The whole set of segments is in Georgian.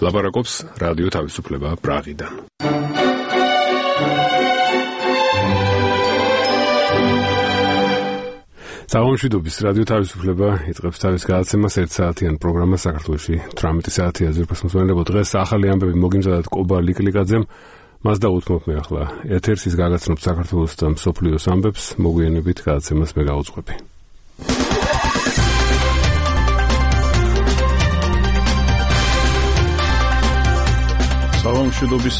ლაპარაკობს რადიო თავისუფლება პრაღიდან. Საომშვიდობის რადიო თავისუფლება იწყებს თავის გადაცემას 1 საათიან პროგრამას საქართველოში 18 საათია ზურგმისმოწმენლებო დღეს ახალი ამბები მოგიმზადათ კობა ლიკლიკაძემ მას დაუთმობ მე ახლა ეთერს ის გაგაცნობ საქართველოს და მსოფლიოს ამბებს მოგვიანებით გადაცემას მე გავუძღვები. საომშვიდობის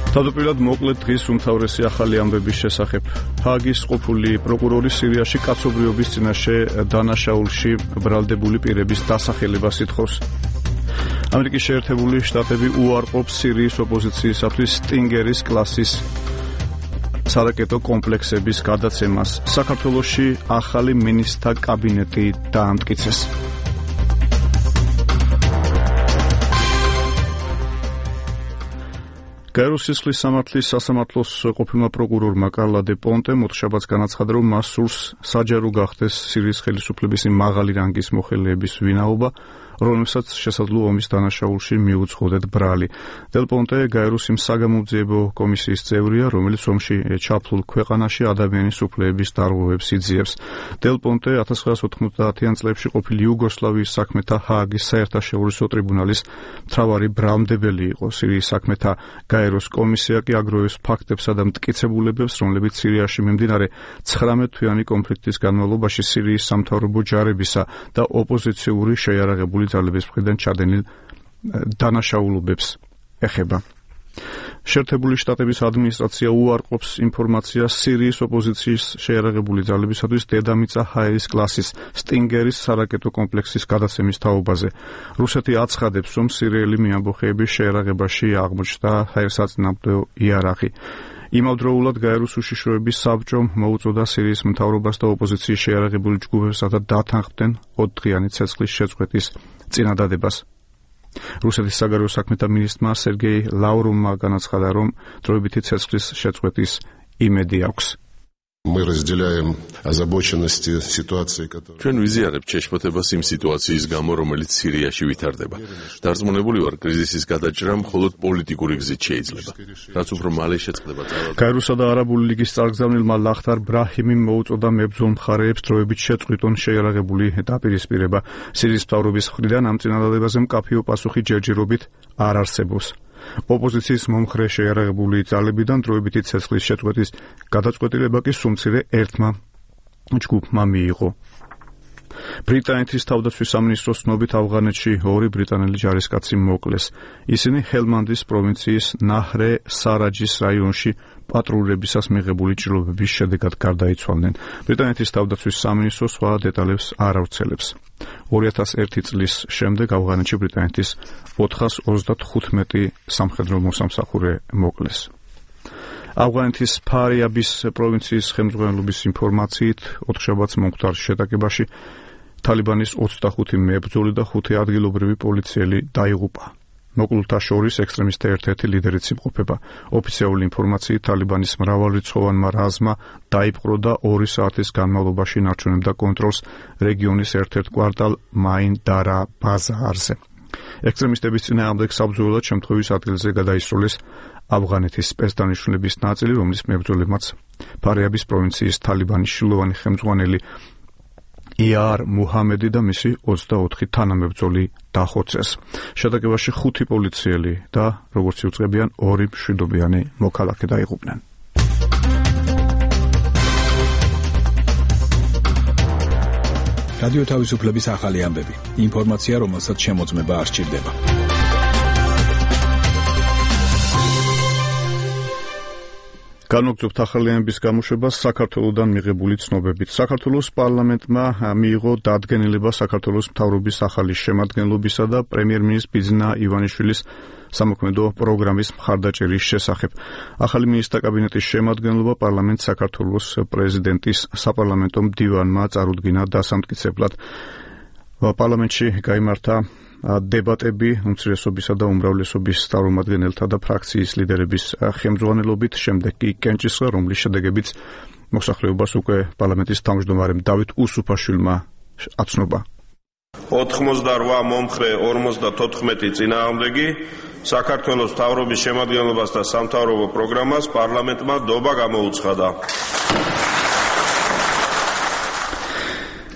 თავდაპირველად მოკლედ დღის უმთავრესი ახალი ამბების შესახებ. ჰააგის ყოფილი პროკურორი სირიაში კაცობრიობის წინაშე დანაშაულში ბრალდებული პირების დასახელებას ითხოვს. ამერიკის შეერთებული შტატები უარყოფს სირიის ოპოზიციისათვის სტინგერის კლასის სარაკეტო კომპლექსების გადაცემას. საქართველოში ახალი მინისტრთა კაბინეტი დაამტკიცეს. გაეროს სისხლის სამართლის სასამართლოს ყოფილმა პროკურორმა კარლა დე პონტემ ოთხშაბათს განაცხადა, რომ მას სურს საჯარო გახდეს სირიის ხელისუფლების მაღალი რანგის მოხელეების ვინაობა, რომელსაც შესაძლოა ომის დანაშაულში მიუძღოდეთ ბრალი. დელ პონტე გაეროს იმ საგამოძიებო კომისიის წევრია, რომელიც ომში ჩაფლულ ქვეყანაში ადამიანის უფლებების დარღვევებს იძიებს. დელ პონტე 1990-იან წლებში ყოფილი იუგოსლავიის საქმეთა ჰააგის საერთაშორისო ტრიბუნალის მთავარი ბრალმდებელი იყო. სირიის საქმეთა გაეროს კომისია კი აგროვებს ფაქტებსა და მტკიცებულებებს, რომლებიც სირიაში მიმდინარე 19 თვიანი კონფლიქტის განმავლობაში სირიის სამთავრობო ჯარებისა და ოპოზიციური შეიარაღებული ძალების მხრიდან ჩადენილ დანაშაულობებს ეხება. შეერთებული შტატების ადმინისტრაცია უარყოფს ინფორმაციას სირიის ოპოზიციის შეიარაღებული ძალებისათვის დედამიწა ჰაერის კლასის სტინგერის სარაკეტო კომპლექსის გადაცემის თაობაზე. რუსეთი აცხადებს, რომ სირიელი მეამბოხეების შეიარაღებაში აღმოჩნდა ჰაერსაწინააღმდეგო იარაღი. იმავდროულად გაეროს უშიშროების საბჭომ მოუწოდა სირიის მთავრობას და ოპოზიციის შეიარაღებული ჯგუფებსა და დათანხმდნენ 4 დღიანი ცეცხლის შეწყვეტის წინადადებას. რუსეთის საგარეო საქმეთა მინისტრმა სერგეი ლავროვმა განაცხადა, რომ დროებითი ცეცხლის შეწყვეტის იმედი აქვს. Мы разделяем озабоченности ситуации, которая ჩვენ ვიზიარებთ შეშფოთებას იმ სიტუაციის გამო, რომელიც სირიაში ვითარდება. დარწმუნებული ვარ, კრიზისის გადაჭრა მხოლოდ პოლიტიკური გზით შეიძლება. რაც უფრო მალე შეწყდება ძალადობა. გაეროსა და არაბული ლიგის წარგზავნილმა ლახთარ ბრაჰიმიმ მოუწოდა მებრძოლ მხარეებს დროებით შეწყვიტონ შეიარაღებული დაპირისპირება. სირიის მთავრობის მხრიდან ამ წინადადებაზე მკაფიო პასუხი ჯერჯერობით არ არსებობს. ოპოზიციის მომხრე შეიარაღებული ძალებიდან დროებითი ცეცხლის შეწყვეტის გადაწყვეტილება კი სულ ერთმა ჯგუფმა მიიღო. ბრიტანეთის თავდაცვის სამინისტროს ცნობით ავღანეთში 2 ბრიტანელი ჯარისკაცი მოკლეს. ისინი ჰელმანდის პროვინციის ნაჰრე სარაჯის რაიონში პატრულებისას მიღებული ჭრილობების შედეგად გარდაიცვალნენ. ბრიტანეთის თავდაცვის სამინისტრო სხვა დეტალებს არ ავრცელებს. 2001 წლის შემდეგ ავღანეთში ბრიტანეთის 435 სამხედრო მოსამსახურე მოკლეს. ავღანეთის ფარიაბის პროვინციის ხელმძღვანელობის ინფორმაციით ოთხშაბათს მომხდარ შეტაკებაში თალიბანის 25 მებრძოლი და 5 ადგილობრივი პოლიციელი დაიღუპა. მოკლულთა შორის ექსტრემისტთა ერთ-ერთი ლიდერიც იმყოფება. ოფიციალური ინფორმაციით თალიბანის მრავალრიცხოვანმა რაზმმა დაიპყრო და 2 საათის განმავლობაში ინარჩუნებდა კონტროლს რეგიონის ერთ-ერთ კვარტალ მაინ-დარა ბაზარზე. ექსტრემისტების წინააღმდეგ საბრძოლველად შემთხვევის ადგილზე გადაისროლეს ავღანეთის სპეცდანიშნულების ნაწილი, რომლის მებრძოლებმაც ფარიაბის პროვინციის თალიბანის შილოვანი ხელმძღვანელი იარ მუჰამედი და მისი 24 თანამებრძოლი დახოცეს. შეტაკებაში 5 პოლიციელი და როგორც იუწყებიან 2 მშვიდობიანი მოქალაქე დაიღუპნენ. რადიო თავისუფლების ახალი ამბები. ინფორმაცია, რომელსაც შემოწმება არ სჭირდება. განვაგრძობთ ახალი ამბების გამოშვებას საქართველოსდან მიღებული ცნობებით. საქართველოს პარლამენტმა მიიღო დადგენილება საქართველოს მთავრობის ახალი შემადგენლობისა და პრემიერ-მინისტრის ბიძინა ივანიშვილის სამოქმედო პროგრამის მხარდაჭერის შესახებ. ახალი მინისტრთა კაბინეტის შემადგენლობა პარლამენტს საქართველოს პრეზიდენტის საპარლამენტო მდივანმა წარუდგინა დასამტკიცებლად. პარლამენტში გაიმართა დებატები უმცირესობისა და უმრავლესობის წარმომადგენელთა და ფრაქციის ლიდერების ხელმძღვანელობით, შემდეგ კი კენჭისყრა, რომლის შედეგებიც მოსახლეობას უკვე პარლამენტის თავმჯდომარემ დავით უსუფაშვილმა აცნობა. 88 მომხრე 54 წინააღმდეგი საქართველოს მთავრობის შემადგენლობას და სამთავრობო პროგრამას პარლამენტმა დობა გამოუცხადა.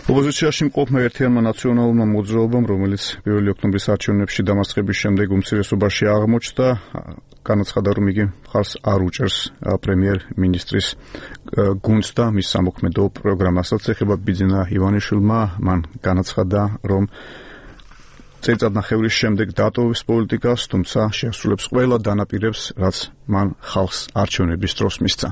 ოპოზიციაში მყოფმა ერთიანმა ნაციონალურმა მოძრაობამ, რომელიც 1 ოქტომბრის არჩევნებში დამარცხების შემდეგ უმცირესობაში აღმოჩნდა, განაცხადა, რომ იგი მხარს არ უჭერს პრემიერ-მინისტრის გუნდს და მის სამოქმედო პროგრამასაც. ეხება ბიძინა ივანიშვილმა, მან განაცხადა, რომ წელიწადნახევრის შემდეგ დატოვებს პოლიტიკას, თუმცა შეასრულებს ყველა დანაპირებს, რაც მან ხალხს არჩევნების დროს მისცა.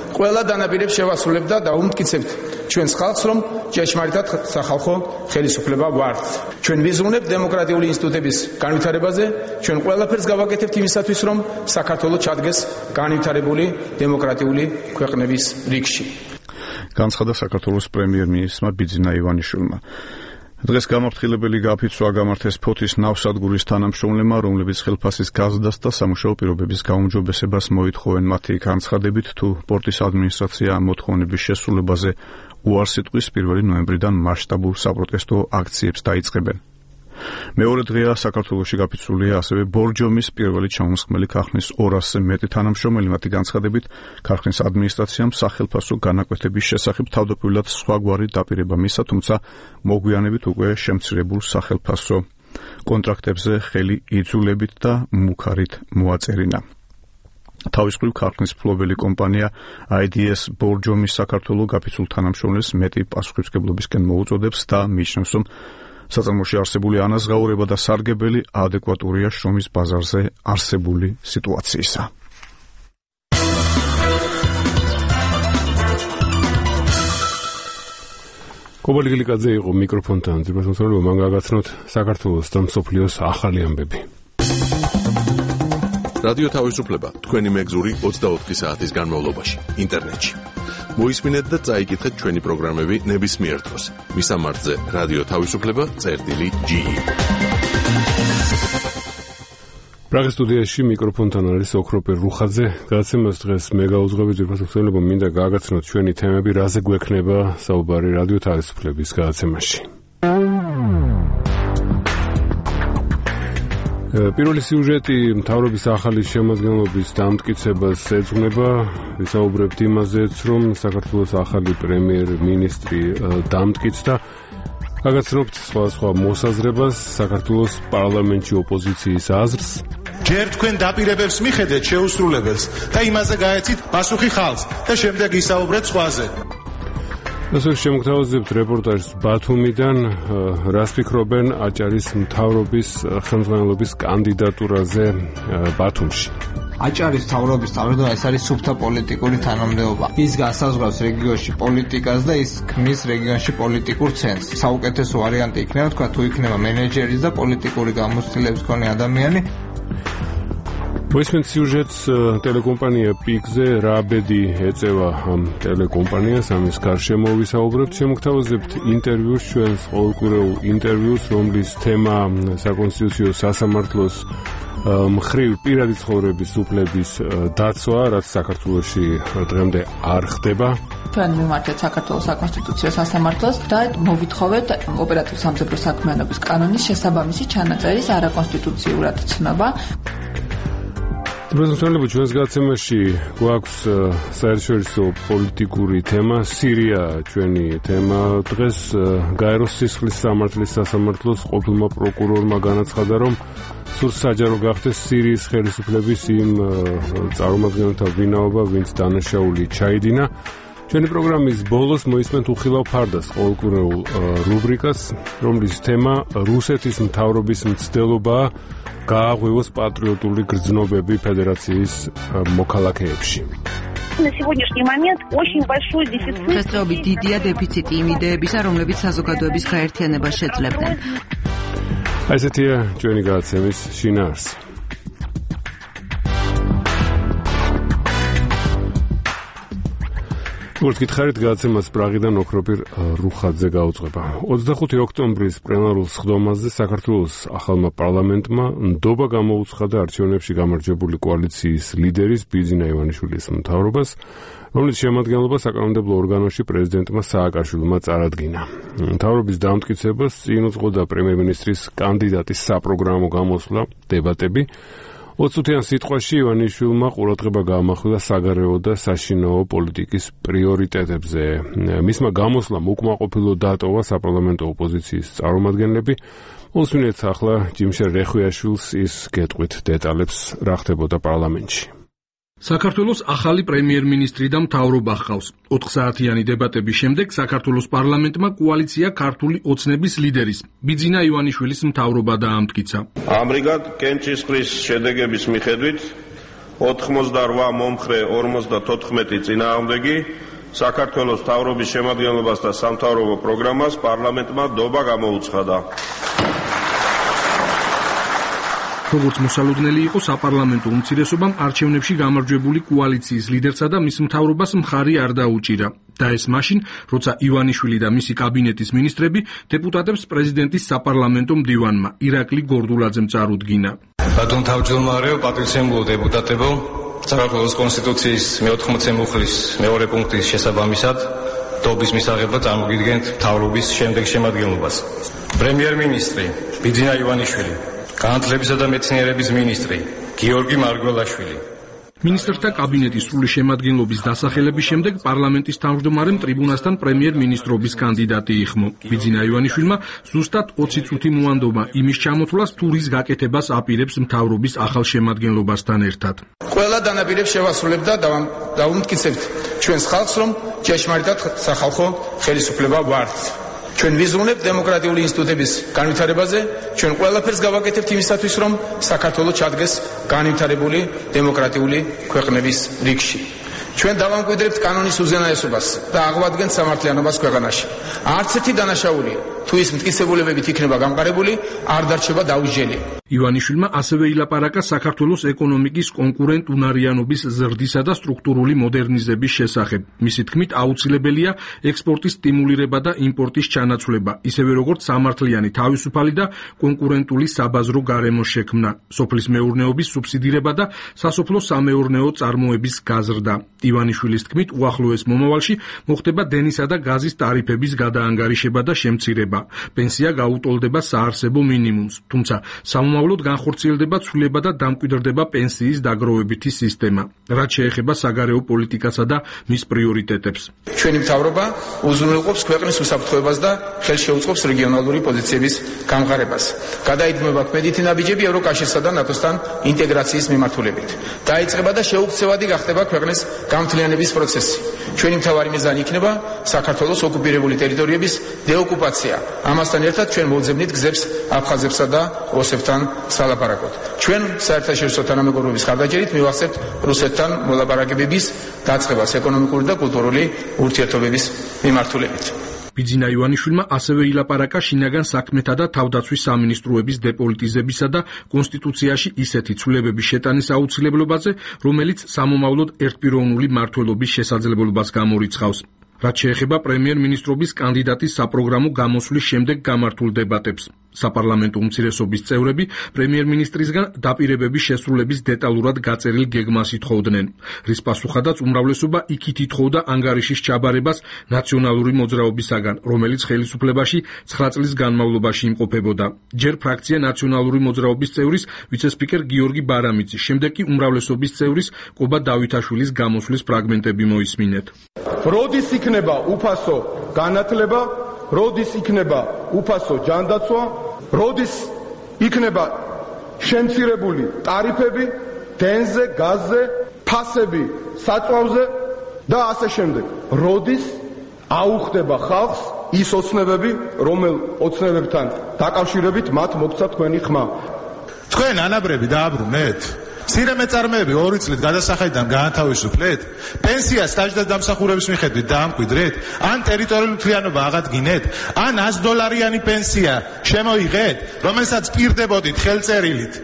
ყველა დანაპირებს შევასრულებ და დაუმტკიცებთ ჩვენს ხალხს, რომ ჭეშმარიტად სახალხო ხელისუფლება ვართ. ჩვენ ვიზრუნებთ დემოკრატიული ინსტიტუტების განვითარებაზე, ჩვენ ყველაფერს გავაკეთებთ იმისათვის, რომ საქართველოს ჩადგეს განვითარებული დემოკრატიული ქვეყნების რიგში. განცხადა საქართველოს პრემიერ-მინისტრმა ბიძინა ივანიშვილმა. დღეს გამაფრთხილებელი გაფიცვა გამართეს ფოთის ნავსადგურის თანამშრომლებმა, რომლებიც ხელფასის გაზრდას და სამუშაო პირობების გაუმჯობესებას მოითხოვენ. მათი განცხადებით, თუ პორტის ადმინისტრაცია მოთხოვნების შესრულებაზე უარს იტყვის, 1 ნოემბრიდან მასშტაბურ საპროტესტო აქციებს დაიწყებენ. მეორე დღეა საქართველოში გაფიცვულია ასევე ბორჯომის პირველი ჩამოსხმელი ქარხნის 200-ზე მეტი თანამშრომელი. მათი განცხადებით, ქარხნის ადმინისტრაციამ სახელფასო განაკვეთების შესახებ თავდაპირველად სხვაგვარი დაპირება მისცა, თუმცა მოგვიანებით უკვე შემცირებულ სახელფასო კონტრაქტებზე ხელი იძულებით და მუქარით მოაწერინა. თავის მხრივ ქარხნის მფლობელი კომპანია IDS ბორჯომის საქართველოს გაფიცულ თანამშრომლებს მეტი პასუხისმგებლობისკენ მოუწოდებს და მიიჩნევს, რომ საწარმოში არსებული ანაზღაურება და სარგებელი ადეკვატურია შრომის ბაზარზე არსებული სიტუაციისა. კობა ლიგილიკაძე იყო მიკროფონთან. ძირფასმოსავლობა მან გაგაცნოთ საქართველოს და მსოფლიოს ახალი ამბები. რადიო თავისუფლება თქვენი მეგზური 24 საათის განმავლობაში ინტერნეტში. მოისმინეთ და წაიკითხეთ ჩვენი პროგრამები ნებისმიერ დროს. მისამართზე რადიო თავისუფლება.ge. პრაღის სტუდიაში მიკროფონთან არის ოქროპერ რუხაძე. გადაცემას დღეს მე გაუძღვები. ძირფასმოსავლობა მინდა გაგაცნოთ ჩვენი თემები, რაზე გვექნება საუბარი რადიო თავისუფლების გადაცემაში. პირველი სიუჟეტი მთავრობის ახალი შემადგენლობის დამტკიცებას ეძღვნება. ვისაუბრებთ იმაზეც, რომ საქართველოს ახალი პრემიერ-მინისტრი დამტკიცდა. გაგაცნობთ სხვადასხვა მოსაზრებას, საქართველოს პარლამენტში ოპოზიციის აზრს. ჯერ თქვენ დაპირებებს მიხედეთ შეუსრულებელს და იმაზე გაეცით პასუხი ხალხს და შემდეგ ისაუბრეთ სხვაზე. ასე შემოგთავაზებთ რეპორტაჟს ბათუმიდან. რას ფიქრობენ აჭარის მთავრობის ხელმძღვანელობის კანდიდატურაზე ბათუმში? აჭარის მთავრობის თავმჯდომარე ეს არის სუფთა პოლიტიკური თანამდებობა. ის განსაზღვრავს რეგიონში პოლიტიკას და ის ქმნის რეგიონში პოლიტიკურ ცენტრს. საუკეთესო ვარიანტი იქნება თქვა თუ იქნება მენეჯერის და პოლიტიკური გამოცდილების მქონე ადამიანი. მოისმენთ სიუჟეტს ტელეკომპანია პიკზე რა ბედი ეწევა ამ ტელეკომპანიას, ამის გარშემო ვისაუბრებთ. შემოგთავაზებთ ინტერვიუს, ჩვენს ყოველკვირეულ ინტერვიუს, რომლის თემა საკონსტიტუციო სასამართლოს მხრივ პირადი ცხოვრების უფლების დაცვა, რაც საქართველოში დღემდე არ ხდება. ჩვენ მიმართეთ საქართველოს საკონსტიტუციო სასამართლოს და მოვითხოვეთ ოპერატიულ სამხედრო საქმიანობის კანონის შესაბამისი ჩანაწერის არაკონსტიტუციურად ცნობა. პრეზიდენტები ჩვენს გადაცემაში გვაქვს საერთაშორისო პოლიტიკური თემა, სირია ჩვენი თემა. დღეს გაეროს სისხლის სამართლის სასამართლოს ყოფილმა პროკურორმა განაცხადა, რომ სურს საჯარო გახდეს სირიის ხელისუფლების იმ წარმომადგენელთა ვინაობა, ვინც დანაშაული ჩაიდინა. ჩვენი პროგრამის ბოლოს მოისმენთ უხილავ ფარდას ყოველკვირეულ რუბრიკას, რომლის თემა რუსეთის მთავრობის მცდელობაა გააღვივოს პატრიოტული გრძნობები ფედერაციის მოქალაქეებში. დღესდღეობით დიდია დეფიციტი იმ იდეებისა, რომლებიც საზოგადოების გაერთიანებას შეძლებდნენ. ესეთია ჩვენი გადაცემის შინაარსი. გითხარით გადაცემას პრაღიდან ოქროპირ რუხაძე გაუძღვება. 25 ოქტომბრის პლენარულ სხდომაზე საქართველოს ახალმა პარლამენტმა ნდობა გამოუცხადა არჩევნებში გამარჯვებული კოალიციის ლიდერის ბიძინა ივანიშვილის მთავრობას, რომლის შემადგენლობა საკანონმდებლო ორგანოში პრეზიდენტმა სააკაშვილმა წარადგინა. მთავრობის დამტკიცებას წინ უძღოდა პრემიერ-მინისტრის კანდიდატის საპროგრამო გამოსვლა, დებატები. 20-იან სიტყვაში ივანიშვილმა ყურადღება გაამახვილა საგარეო და საშინაო პოლიტიკის პრიორიტეტებზე. მისმა გამოსვლამ უკმაყოფილო დატოვა საპარლამენტო ოპოზიციის წარმომადგენლები. უსმინეთ ახლა ჯიმშერ რეხვიაშვილს ის გეტყვით დეტალებს რა ხდებოდა პარლამენტში. საქართველოს ახალი პრემიერ-მინისტრი და მთავრობა ჰყავს. 4 საათიანი დებატების შემდეგ საქართველოს პარლამენტმა კოალიცია ქართული ოცნების ლიდერის ბიძინა ივანიშვილის მთავრობა დაამტკიცა. ამრიგად კენჭისყრის შედეგების მიხედვით 88 მომხრე 54 წინააღმდეგი საქართველოს მთავრობის შემადგენლობას და სამთავრობო პროგრამას პარლამენტმა ნდობა გამოუცხადა. როგორც მოსალოდნელი იყო საპარლამენტო უმცირესობამ არჩევნებში გამარჯვებული კოალიციის ლიდერსა და მის მთავრობას მხარი არ დაუჭირა. და ეს მაშინ, როცა ივანიშვილი და მისი კაბინეტის მინისტრები დეპუტატებს პრეზიდენტის საპარლამენტო მდივანმა ირაკლი გორდულაძემ წარუდგინა. ბატონ თავმჯდომარეო, პატრიციებულო დეპუტატებო, საქართველოს კონსტიტუციის მე-80 მუხლის მეორე პუნქტის შესაბამისად ნდობის მისაღება წარმოგიდგენთ მთავრობის შემდეგ შემადგენლობას. პრემიერ-მინისტრი ბიძინა ივანიშვილი, განათლებისა და მეცნიერების მინისტრი გიორგი მარგველაშვილი. მინისტრთა კაბინეტის სრული შემადგენლობის დასახელების შემდეგ პარლამენტის თავმჯდომარემ ტრიბუნასთან პრემიერ-მინისტრობის კანდიდატი იხმო. ბიძინა ივანიშვილმა ზუსტად 20 წუთი მოანდომა იმის ჩამოთვლას, თუ რის გაკეთებას აპირებს მთავრობის ახალ შემადგენლობასთან ერთად. ყველა დანაპირებს შევასრულებ და დავუმტკიცებთ ჩვენს ხალხს, რომ ჭეშმარიტად სახალხო ხელისუფლება ვართ. ჩვენ ვიზრუნებთ დემოკრატიული ინსტიტუტების განვითარებაზე, ჩვენ ყველაფერს გავაკეთებთ იმისათვის, რომ საქართველო ჩადგეს განვითარებული დემოკრატიული ქვეყნების რიგში. ჩვენ დავამკვიდრებთ კანონის უზენაესობას და აღვადგენთ სამართლიანობას ქვეყანაში. არც ერთი დანაშაული, თუ ის მტკიცებულებებით იქნება გამყარებული, არ დარჩება დაუსჯელი. ივანიშვილმა ასევე ილაპარაკა საქართველოს ეკონომიკის კონკურენტუნარიანობის ზრდისა და სტრუქტურული მოდერნიზების შესახებ. მისი თქმით, აუცილებელია ექსპორტის სტიმულირება და იმპორტის ჩანაცვლება, ისევე როგორც სამართლიანი, თავისუფალი და კონკურენტული საბაზრო გარემოს შექმნა, სოფლის მეურნეობის სუბსიდირება და სასოფლო სამეურნეო წარმოების გაზრდა. ივანიშვილის თქმით, უახლოეს მომავალში მოხდება დენისა და გაზის ტარიფების გადაანგარიშება და შემცირება. პენსია გაუტოლდება საარსებო მინიმუმს, თუმცა სამომავლოდ განხორციელდება ცვლილება და დამკვიდრდება პენსიის დაგროვებითი სისტემა, რაც შეეხება საგარეო პოლიტიკასა და მის პრიორიტეტებს. ჩვენი მთავრობა უზრუნველყოფს ქვეყნის უსაფრთხოებას და ხელს შეუწყობს რეგიონალური პოზიციების გამყარებას. გადაიდგმება ქმედითი ნაბიჯები ევროკავშირსა და ნატოსთან ინტეგრაციის მიმართულებით. დაიწყება და შეუქცევადი გახდება ქვეყნის გამთლიანების პროცესი. ჩვენი მთავარი მიზანი იქნება საქართველოს ოკუპირებული ტერიტორიების დეოკუპაცია. ამასთან ერთად ჩვენ მოვძებნით გზებს აფხაზებსა და ოსებთან სალაპარაკოდ. ჩვენ საერთაშორისო თანამეგობრობის ხარდაჭერით მივახცევთ რუსეთთან მოლაპარაკებების დაწყებას ეკონომიკური და კულტურული ურთიერთობების მიმართულებით. ბიძინა ივანიშვილმა ასევე ილაპარაკა შინაგან საქმეთა და თავდაცვის სამინისტროების დეპოლიტიზებისა და კონსტიტუციაში ისეთი ცვლილებების შეტანის აუცილებლობაზე, რომელიც სამომავლოდ ერთპიროვნული მმართველობის შესაძლებლობას გამორიცხავს. რაც შეეხება პრემიერ-მინისტრობის კანდიდატის საპროგრამო გამოსვლის შემდეგ გამართულ დებატებს. საპარლამენტო უმცირესობის წევრები პრემიერ-მინისტრისგან დაპირებების შესრულების დეტალურად გაწერილ გეგმას ითხოვდნენ, რის პასუხადაც უმრავლესობა იქით ითხოვდა ანგარიშის ჩაბარებას ნაციონალური მოძრაობისაგან, რომელიც ხელისუფლებაში 9 წლის განმავლობაში იმყოფებოდა. ჯერ ფრაქცია ნაციონალური მოძრაობის წევრის ვიცე-სპიკერ გიორგი ბარამიძის, შემდეგ კი უმრავლესობის წევრის კობა დავითაშვილის გამოსვლის ფრაგმენტები მოისმინეთ. როდის იქნება უფასო განათლება, როდის იქნება უფასო ჯანდაცვა, როდის იქნება შემცირებული ტარიფები დენზე, გაზზე, ფასები საწვავზე და ასე შემდეგ. როდის აუხდება ხალხს ის ოცნებები, რომელ ოცნებებთან დაკავშირებით მათ მოგცა თქვენი ხმა. თქვენ ანაბრები დააბრუნეთ? მცირე მეწარმეები 2 წლით გადასახადიდან გაანთავისუფლეთ? პენსია სტაჟდას დამსახურების მიხედვით დაამკვიდრეთ? ან ტერიტორიული მთლიანობა აღადგინეთ? ან $100 პენსია შემოიღეთ, რომელსაც პირდებოდით ხელწერილით?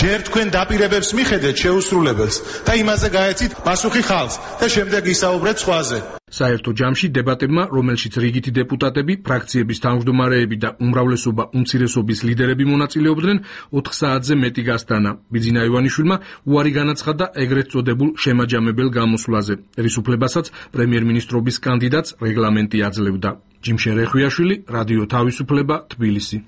ჯერ თქვენ დაპირებებს მიხედეთ შეუსრულებელს და იმაზე გაეცით პასუხი ხალხს და შემდეგ ისაუბრეთ სხვაზე. საერთო ჯამში დებატებმა, რომელშიც რიგითი დეპუტატები, ფრაქციების თავმჯდომარეები და უმრავლესობა უმცირესობის ლიდერები მონაწილეობდნენ, 4 საათზე მეტი გასტანა. ბიძინა ივანიშვილმა უარი განაცხადა ეგრეთ წოდებულ შემაჯამებელ გამოსვლაზე, რის უფლებასაც პრემიერ-მინისტრობის კანდიდატს რეგლამენტი აძლევდა. ჯიმშე რეხვიაშვილი, რადიო თავისუფლება, თბილისი.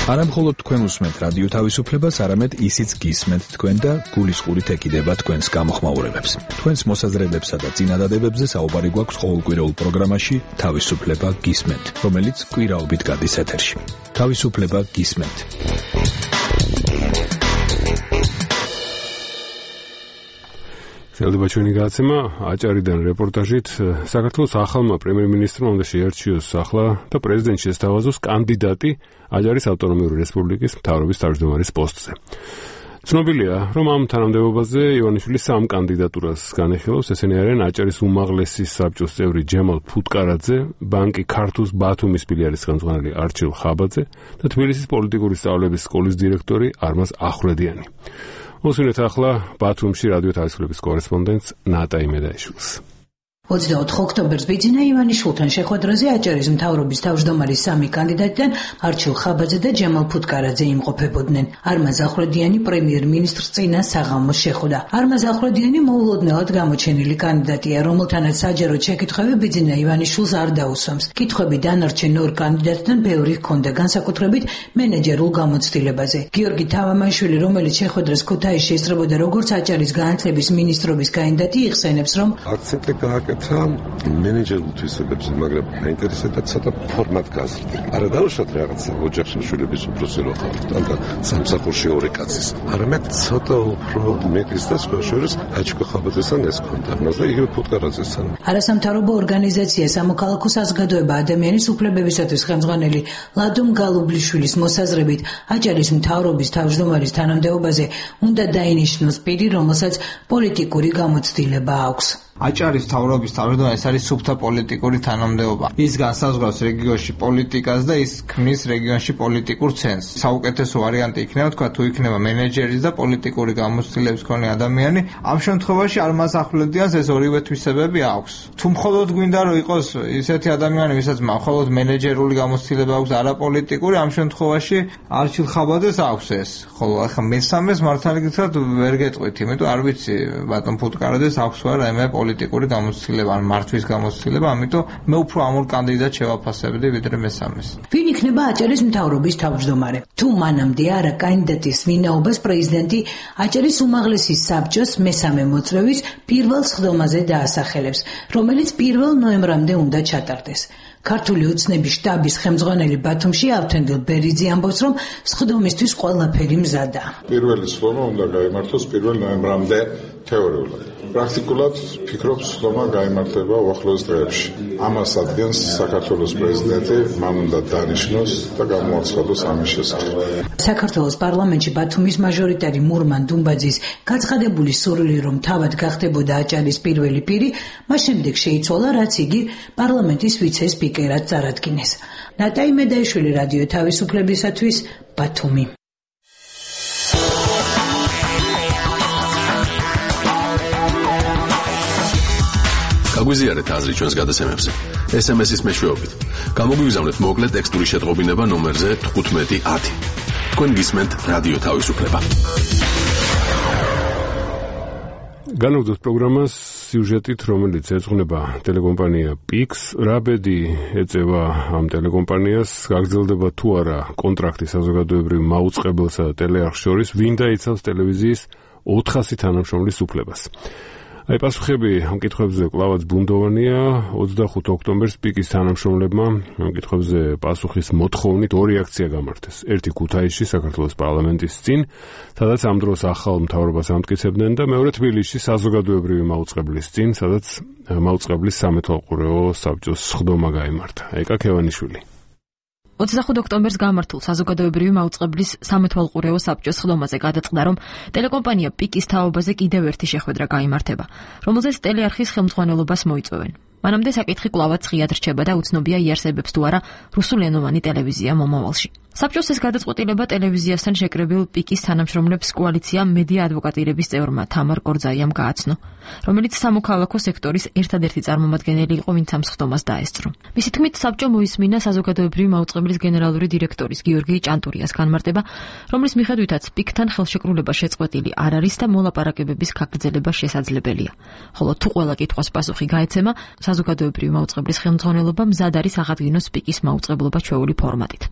არა მხოლოდ თქვენ უსმენთ რადიო თავისუფლებას, არამედ ისიც გისმენთ თქვენ და გულისყურით ეკიდება თქვენს გამოხმაურებებს. თქვენს მოსაზრებებსა და წინადადებებზე საუბარი გვაქვს ყოველკვირეულ პროგრამაში თავისუფლება გისმენთ, რომელიც კვირაობით გადის ეთერში. თავისუფლება გისმენთ. ხელდება ჩვენი გადაცემა აჭარიდან რეპორტაჟით. საქართველოს ახალმა პრემიერ-მინისტრმა უნდა შეარჩიოს ახლა და პრეზიდენტს შესთავაზოს კანდიდატი აჭარის ავტონომიური რესპუბლიკის მთავრობის თავმჯდომარის პოსტზე. ცნობილია, რომ ამ თანამდებობაზე ივანიშვილი 3 კანდიდატურას განეხილავს. ესენი არიან აჭარის უმაღლესი საბჭოს წევრი ჯემალ ფუტკარაძე, ბანკი ქართუს ბათუმის ფილიალის ხელმძღვანელი არჩილ ხაბაძე და თბილისის პოლიტიკური სწავლების სკოლის დირექტორი არმაზ ახვლედიანი. მოსვინეთ ახლა ბათუმში რადიო თავისუფლების კორესპონდენტს ნატა იმედაიშვილს. 24 ოქტომბერს ბიძინა ივანიშვილთან შეხვედრაზე აჭარის მთავრობის თავმჯდომარის 3 კანდიდატიდან არჩილ ხაბაძე და ჯემალ ფუტკარაძე იმყოფებოდნენ. არმაზ ახვლედიანი პრემიერ-მინისტრს წინა საღამოს შეხვდა. არმაზ ახვლედიანი მოულოდნელად გამოჩენილი კანდიდატია, რომელთანაც საჯაროდ შეკითხვები ბიძინა ივანიშვილს არ დაუსვამს. კითხვები დანარჩენ 2 კანდიდატთან ბევრი ჰქონდა, განსაკუთრებით მენეჯერულ გამოცდილებაზე. გიორგი თავამაიშვილი, რომელიც შეხვედრას ქუთაისში ესწრებოდა როგორც აჭარის განათლების მინისტრობის კანდიდატი, იხსენებს, რომ აქცენტი მენეჯერულ თვისებებზე, მაგრამ მაინტერესებდა ცოტა ფორმატ გაზრდა. არა დავუშვათ რაღაცა ოჯახშვილების უფროსი რო ხართ, ანდა სამსახურში 2 კაცის. არამედ ცოტა უფრო მეტის და სხვა შორის აჩქო ხაბაძესთან ეს ქონდა, მაგრამ იგივე ფუტკარაძესთან. არასამთავრობო ორგანიზაცია სამოქალაქო საზოგადოება ადამიანის უფლებებისათვის ხელმძღვანელი ლადომ გალუბლიშვილის მოსაზრებით, აჭარის მთავრობის თავმჯდომარის თანამდებობაზე უნდა დაინიშნოს პირი, რომელსაც პოლიტიკური გამოცდილება აქვს. აჭარის მთავრობის თავმჯდომარე არის სუფთა პოლიტიკური თანამდებობა. ის განსაზღვრავს რეგიონში პოლიტიკას და ის ქმნის რეგიონში პოლიტიკურ ცენტრს. საუკეთესო ვარიანტი იქნება თქვა თუ იქნება მენეჯერის და პოლიტიკური გამოცდილების მქონე ადამიანი. ამ შემთხვევაში არმაზ ახვლედიანს ეს ორივე თვისებები აქვს. თუ მხოლოდ გვინდა რომ იყოს ისეთი ადამიანი, ვისაც მხოლოდ მენეჯერული გამოცდილება აქვს, არა პოლიტიკური, ამ შემთხვევაში არჩილ ხაბაძეს აქვს ეს. ხოლო ახლა მესამეს მართალი გითხრათ ვერ გეტყვით, იმიტომ არ ვიცი ბატონ ფუტკარაძეს აქვს რა რაიმე პოლიტიკური გამოცდილება ან მართვის გამოცდილება, ამიტომ მე უფრო ამ ორ კანდიდატს შევაფასებდი ვიდრე მესამეს. ვინ იქნება აჭარის მთავრობის თავმჯდომარე? თუ მანამდე არა კანდიდატის ვინაობას პრეზიდენტი აჭარის უმაღლესი საბჭოს მესამე მოწვევის პირველ სხდომაზე დაასახელებს, რომელიც 1 ნოემბრამდე უნდა ჩატარდეს. ქართული ოცნების შტაბის ხელმძღვანელი ბათუმში ავთანდილ ბერიძე ამბობს, რომ სხდომისთვის ყველაფერი მზადა. პირველი სხდომა უნდა გაიმართოს 1 ნოემბრამდე თეორიულად. პრაქტიკულად ფიქრობს, სხდომა გაიმართება უახლოეს დღეებში. ამას ადგენს საქართველოს პრეზიდენტი, მან უნდა დანიშნოს და გამოაცხადოს ამის შესახებ. საქართველოს პარლამენტში ბათუმის მაჟორიტარი მურმან დუმბაძის გაცხადებული სურვილი, რომ თავად გახდებოდა აჭარის პირველი პირი, მას შემდეგ შეიცვალა, რაც იგი პარლამენტის ვიცე-სპიკერად წარადგინეს. ნატა იმედაიშვილი, რადიო თავისუფლებისათვის, ბათუმი. გაგვიზიარეთ აზრი ჩვენს გადაცემებზე. SMS-ის მეშვეობით. გამოგვიგზავნეთ მოკლე ტექსტური შეტყობინება ნომერზე 1510. თქვენ გისმენთ რადიო თავისუფლება. განაგზავნოთ პროგრამას სიუჟეტით, რომელიც ეძღვნება ტელეკომპანია PIX. რა ბედი ეწევა ამ ტელეკომპანიას? გაგრძელდება თუ არა კონტრაქტი საზოგადოებრივ მაუწყებელსა და ტელეარხს შორის? ვინ დაიცავს ტელევიზიის 400 თანამშრომლის უფლებას? აი პასუხები ამ კითხვებზე კლავაც ბუნდოვანია. 25 ოქტომბერს PIX-ის თანამშრომლებმა ამ კითხვებზე პასუხის მოთხოვნით 2 აქცია გამართეს. ერთი ქუთაისში, საქართველოს პარლამენტის წინ, სადაც ამ დროს ახალ მთავრობას ამტკიცებდნენ და მეორე თბილისში საზოგადოებრივი მაუწყებლის წინ, სადაც მაუწყებლის სამეთვალყურეო საბჭოს სხდომა გაიმართა. ეკა ქევანიშვილი. 25 ოქტომბერს გამართულ საზოგადოებრივი მაუწყებლის სამეთვალყურეო საბჭოს სხდომაზე გადაწყდა, რომ ტელეკომპანია PIX-ის თაობაზე კიდევ ერთი შეხვედრა გაიმართება, რომელზეც ტელეარხის ხელმძღვანელობას მოიწვევენ. მანამდე საკითხი კვლავაც ღიად რჩება და უცნობია იარსებებს თუ არა რუსულენოვანი ტელევიზია მომავალში. საბჭოს ეს გადაწყვეტილება ტელევიზიასთან შეკრებილ პიკის თანამშრომლებს კოალიცია მედია ადვოკატირების წევრმა თამარ კორძაიამ გააცნო, რომელიც სამოქალაქო სექტორის ერთადერთი წარმომადგენელი იყო, ვინც ამ სხდომას დაესწრო. მისი თქმით, საბჭო მოისმინა საზოგადოებრივი მაუწყებლის გენერალური დირექტორის გიორგი ჭანტურიას განმარტება, რომლის მიხედვითაც პიკთან ხელშეკრულება შეწყვეტილი არ არის და მოლაპარაკებების გაგრძელება შესაძლებელია. ხოლო თუ ყველა კითხვას პასუხი გაეცემა, საზოგადოებრივი მაუწყებლის ხელმძღვანელობა მზად არის აღადგინოს პიკის მაუწყებლობა ჩვეული ფორმატით.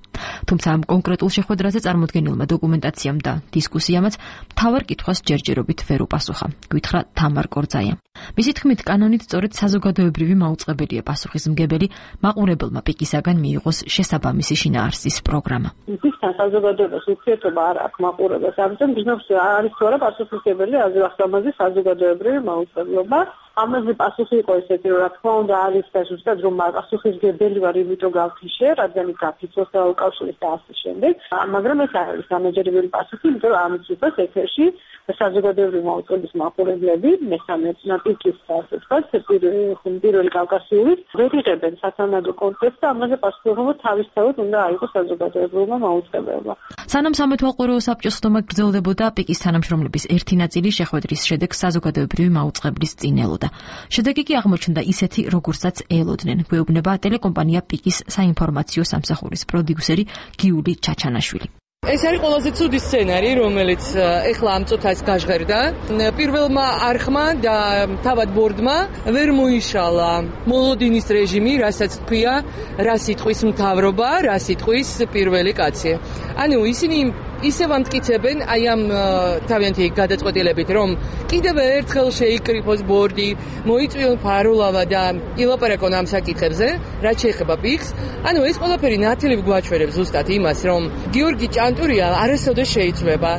თუმცა ამ კონკრეტულ შეხვედრაზე წარმოდგენილმა დოკუმენტაციამ და დისკუსიამაც მთავარ კითხვას ჯერჯერობით ვერ უპასუხა, გითხრა თამარ კორძაიამ. მისი თქმით, კანონით სწორედ საზოგადოებრივი მაუწყებელია პასუხისმგებელი მაყურებელმა პიკისაგან მიიღოს შესაბამისი შინაარსის პროგრამა. პიკისთან საზოგადოებას ურთიერთობა არ აქვს მაყურებელს, ამიტომ გზნობს არის თუ არა პასუხისმგებელი აზრახსამაზი საზოგადოებრივი მაუწყებლობა. ამაზე პასუხი იყო ესეთი, რომ რა თქმა უნდა არის და ზუსტად რომ პასუხისმგებელი ვარ, იმიტომ გავთიშე, რადგან გაფიცოს და უკავშირის და ასე შემდეგ. მაგრამ ეს არ არის დამაჯერებელი პასუხი, იმიტომ რომ ამის დროს ეთერში საზოგადოებრივი მაუწყებლის მაყურებლები მესამე პიკის ასე ვთქვათ, პირველი კავკასიურის ვერ იღებენ სათანადო კონტექსტს და ამაზე პასუხისმგებლობა თავისთავად უნდა აიღოს საზოგადოებრივმა მაუწყებელმა. სანამ სამეთვალყურეო საბჭოს ხდომა გრძელდებოდა, პიკის თანამშრომლების ერთი ნაწილი შეხვედრის შედეგს საზოგადოებრივი მაუწყებლის წინ ელოდა. შედეგი კი აღმოჩნდა ისეთი, როგორცაც ელოდნენ, გვეუბნება ტელეკომპანია პიკის საინფორმაციო სამსახურის პროდიუსერი გიული ჩაჩანაშვილი. ეს არის ყველაზე ცუდი სცენარი, რომელიც ეხლა ამ წუთას გაჟღერდა. პირველმა არხმა და თავად ბორდმა ვერ მოიშალა მოლოდინის რეჟიმი, რასაც თქვია, რა სიტყვის მთავრობა, რა სიტყვის პირველი კაცი. ანუ ისინი ისევ ამტკიცებენ აი ამ თავიანთი გადაწყვეტილებით, რომ კიდევ ერთხელ შეიკრიფოს ბორდი, მოიწვიონ ფარულავა და ილაპარაკონ ამ საკითხებზე, რაც შეეხება პიკს. ანუ ეს ყველაფერი ნათლივ გვაჩვენებს ზუსტად იმას, რომ გიორგი ჭანტურია არასოდეს შეიცვლება.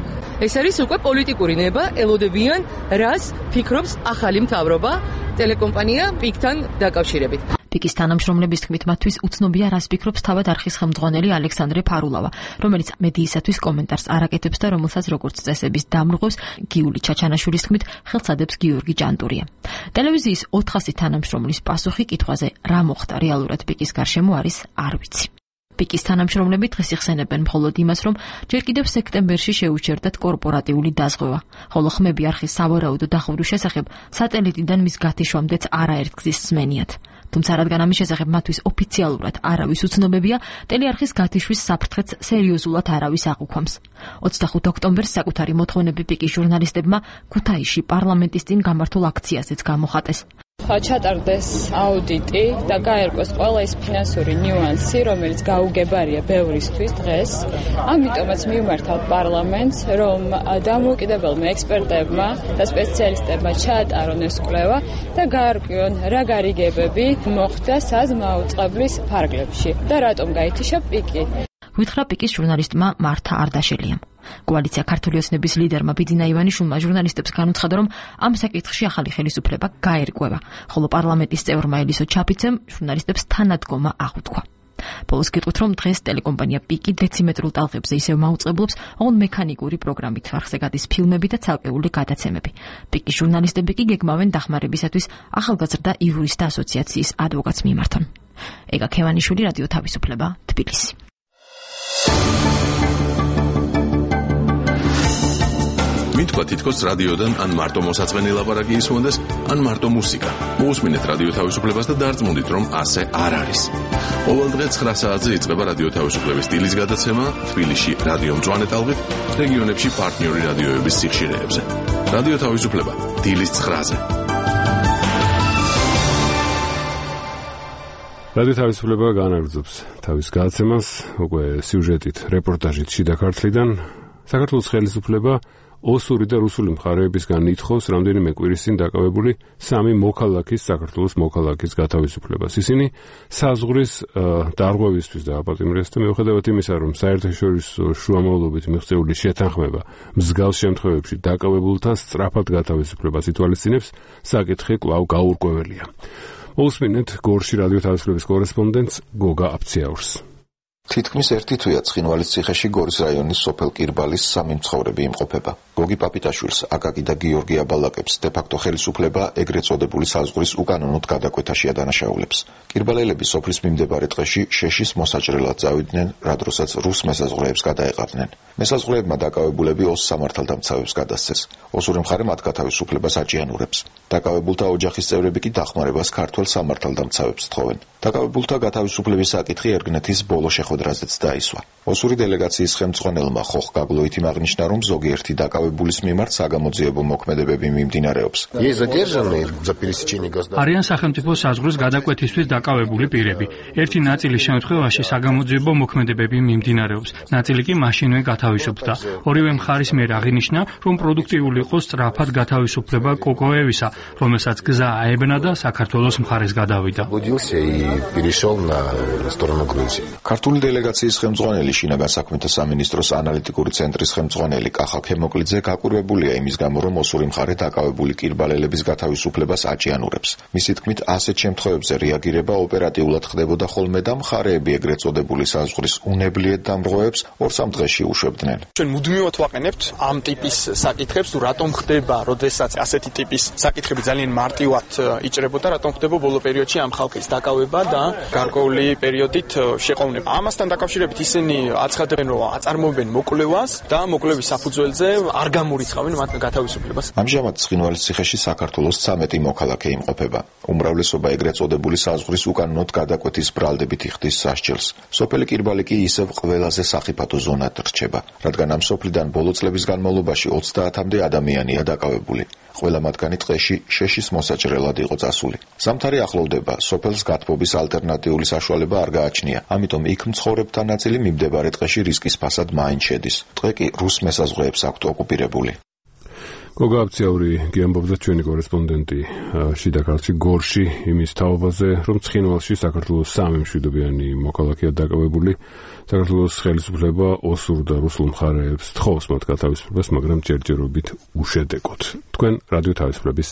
ეს არის უკვე პოლიტიკური ნება, ელოდებიან, რას ფიქრობს ახალი მთავრობა ტელეკომპანია პიკთან დაკავშირებით. პიკის თანამშრომლების თქმით, მათთვის უცნობია, რას ფიქრობს თავად არხის ხელმძღვანელი ალექსანდრე ფარულავა, რომელიც მედიისათვის კომენტარს არ აკეთებს და რომელსაც როგორც წესების დამრღვევს გიული ჩაჩანაშვილის თქმით, ხელსადებს გიორგი ჭანტურია. ტელევიზიის 400 თანამშრომლის პასუხი კითხვაზე, რა მოხდა რეალურად პიკის გარშემო არის არ ვიცი. პიკის თანამშრომლები დღეს იხსენებენ მხოლოდ იმას, რომ ჯერ კიდევ სექტემბერში შეუჩერდათ კორპორატიული დაზღვევა, ხოლო ხმები არხის სავარაუდო დახურვის შესახებ სატელიტიდან მის გათიშვამდეც არაერთგზის სმენიათ. თუმცა რადგან ამის შესახებ მათთვის ოფიციალურად არავის უცნობებია, ტელეარხის გათიშვის საფრთხეც სერიოზულად არავის აღვქვამს. 25 ოქტომბერს საკუთარი მოთხოვნები პიკის ჟურნალისტებმა ქუთაისში პარლამენტის წინ გამართულ აქციაზეც გამოხატეს. ჩატარდეს აუდიტი და გაერკვეს ყველა ის ფინანსური ნიუანსი, რომელიც გაუგებარია ბევრისთვის დღეს. ამიტომაც მივმართავთ პარლამენტს, რომ დამოუკიდებელმა ექსპერტებმა და სპეციალისტებმა ჩაატარონ ეს კვლევა და გაარკვიონ, რა გარიგებები მოხდა საზმაუწყებლის ფარგლებში და რატომ გაითიშა პიკი. გითხრა პიკის ჟურნალისტმა მართა არდაშელიამ. კოალიცია ქართული ოცნების ლიდერმა ბიძინა ივანიშვილმა ჟურნალისტებს განუცხადა, რომ ამ საკითხში ახალი ხელისუფლება გაერკვევა, ხოლო პარლამენტის წევრმა ელისო ჩაფიცემ ჟურნალისტებს თანადგომა აღუთქვა. ბოლოს გეტყვით, რომ დღეს ტელეკომპანია პიკი დეციმეტრულ ტალღებზე ისევ მაუწყებლობს, ოღონდ მექანიკური პროგრამით არხზე გადის ფილმები და ცალკეული გადაცემები. პიკის ჟურნალისტები კი გეგმავენ დახმარებისათვის ახალგაზრდა იურისტთა ასოციაციის ადვოკატს მიმართონ. ეგა ქევანიშვილი, რადიო თავისუფლება, თბილისი. მითქვა თითქოს რადიოდან ან მარტო მოსაწყენი ლაპარაკი ისმოდეს, ან მარტო მუსიკა. მოусმინეთ რადიო თავისუფლებას და დარწმუნდით, რომ ასე არ არის. ყოველ დღე 9 საათზე იწყება რადიო თავისუფლების სტილის გადაცემა თბილისში რადიო მწვანე ტალღით, რეგიონებში პარტნიორი რადიოების სიხშირეებზე. რადიო თავისუფლება დილის 9-ზე. რადიო თავისუფლება განაგრძობს თავის გადაცემას, უკვე სიუჟეტით, რეპორტაჟით შიდა ქართლიდან. საქართველოს ხელისუფლება ოსური და რუსული მხარეებისგან ითხოვს რამდენიმე კვირის წინ დაკავებული 3 მოქალაქის საქართველოს მოქალაქის გათავისუფლებას. ისინი საზღვრის დარღვევისთვის დააპატიმრეს და მიუხედავად იმისა, რომ საერთაშორისო შუამავლობით მიღწეული შეთანხმება მსგავს შემთხვევებში დაკავებულთა სწრაფად გათავისუფლებას ითვალისწინებს, საკითხი კვლავ გაურკვეველია. მოусმინეთ გორში რადიო თავისუფლების კორესპონდენტს გოგა აფციაურს. თითქმის ერთი თვეა ცხინვალის ციხეში გორის რაიონის სოფელ კირბალის სამი მცხოვრები იმყოფება. გოგი პაპიტაშვილს, აკაკი და გიორგი აბალაკებს დე-ფაქტო ხელისუფლება ეგრეთ წოდებული საზღვრის უკანონოდ გადაკვეთაში ადანაშაულებს. კირბალელები სოფლის მიმდებარე ტყეში შეშის მოსაჭრელად წავიდნენ, რა დროსაც რუს მესაზღვრეებს გადაეყარნენ. მესაზღვრეებმა დაკავებულები ოს სამართალდამცავებს გადასცეს. ოსური მხარე მათ გათავისუფლებას აჭიანურებს. დაკავებულთა ოჯახის წევრები კი დახმარებას ქართველ სამართალდამცავებს თხოვენ. დაკავებულთა გათავისუფლების საკითხი ერგნეთის ბოლო შეხვედრაზეც დაისვა. ოსური დელეგაციის ხელმძღვანელმა ხოხ გაგლოითიმ აღნიშნა, რომ ზოგიერთი დაკავებულის მიმართ საგამოძიებო მოქმედებები მიმდინარეობს. არიან სახელმწიფო საზღვრის გადაკვეთისთვის დაკავებული პირები. ერთი ნაწილის შემთხვევაში საგამოძიებო მოქმედებები მიმდინარეობს, ნაწილი კი მაშინვე გათავისუფლდა. ორივე მხარის მიერ აღინიშნა, რომ პროდუქტიული იყო სწრაფად გათავისუფლება კოკოევისა, რომელსაც გზა აებნა და საქართველოს მხარეს გადავიდა. ქართული დელეგაციის ხელმძღვანელი, შინაგან საქმეთა სამინისტროს ანალიტიკური ცენტრის ხელმძღვანელი კახა ქემოკლიძე გაკვირვებულია იმის გამო, რომ ოსური მხარე დაკავებული კირბალელების გათავისუფლებას აჭიანურებს. მისი თქმით, ასეთ შემთხვევებზე რეაგირება ოპერატიულად ხდებოდა ხოლმე და მხარეები ეგრეთ წოდებული საზღვრის უნებლიეთ დამრღვევებს 2-3 დღეში უშვებდნენ. ჩვენ მუდმივად ვაყენებთ ამ ტიპის საკითხებს, თუ რატომ ხდება, როდესაც ასეთი ტიპის საკითხები ძალიან მარტივად იჭრებოდა, რატომ ხდება ბოლო პერიოდში ამ ხალხის დაკავება და გარკვეული პერიოდით შეყოვნება. ამასთან დაკავშირებით ისინი აცხადებენ, რომ აწარმოებენ მოკვლევას და მოკვლევის საფუძველზე არ გამორიცხავენ მათ გათავისუფლებას. ამჟამად ცხინვალის ციხეში საქართველოს 13 მოქალაქე იმყოფება. უმრავლესობა ეგრეთ წოდებული საზღვრის უკანონოდ გადაკვეთის ბრალდებით იხდის სასჯელს. სოფელი კირბალი კი ისევ ყველაზე სახიფათო ზონად რჩება, რადგან ამ სოფლიდან ბოლო წლების განმავლობაში 30-მდე ადამიანია დაკავებული. ყველა მათგანი ტყეში შეშის მოსაჭრელად იყო წასული. ზამთარი ახლოვდება, სოფელს გათბობის ალტერნატიული საშუალება არ გააჩნია, ამიტომ იქ მცხოვრებთა ნაწილი მიმდებარე ტყეში რისკის ფასად მაინც შედის. ტყე კი რუს მესაზღვრეებს აქვთ ოკუპირებული. გოგა აბციაური გიამბობდა ჩვენი კორესპონდენტი შიდა ქართლში გორში იმის თაობაზე, რომ ცხინვალში საქართველოს 3 მშვიდობიანი მოქალაქეა დაკავებული. საქართველოს ხელისუფლება ოსურ და რუსულ მხარეებს თხოვს მათ გათავისუფლებას, მაგრამ ჯერჯერობით უშედეგოდ. თქვენ რადიო თავისუფლების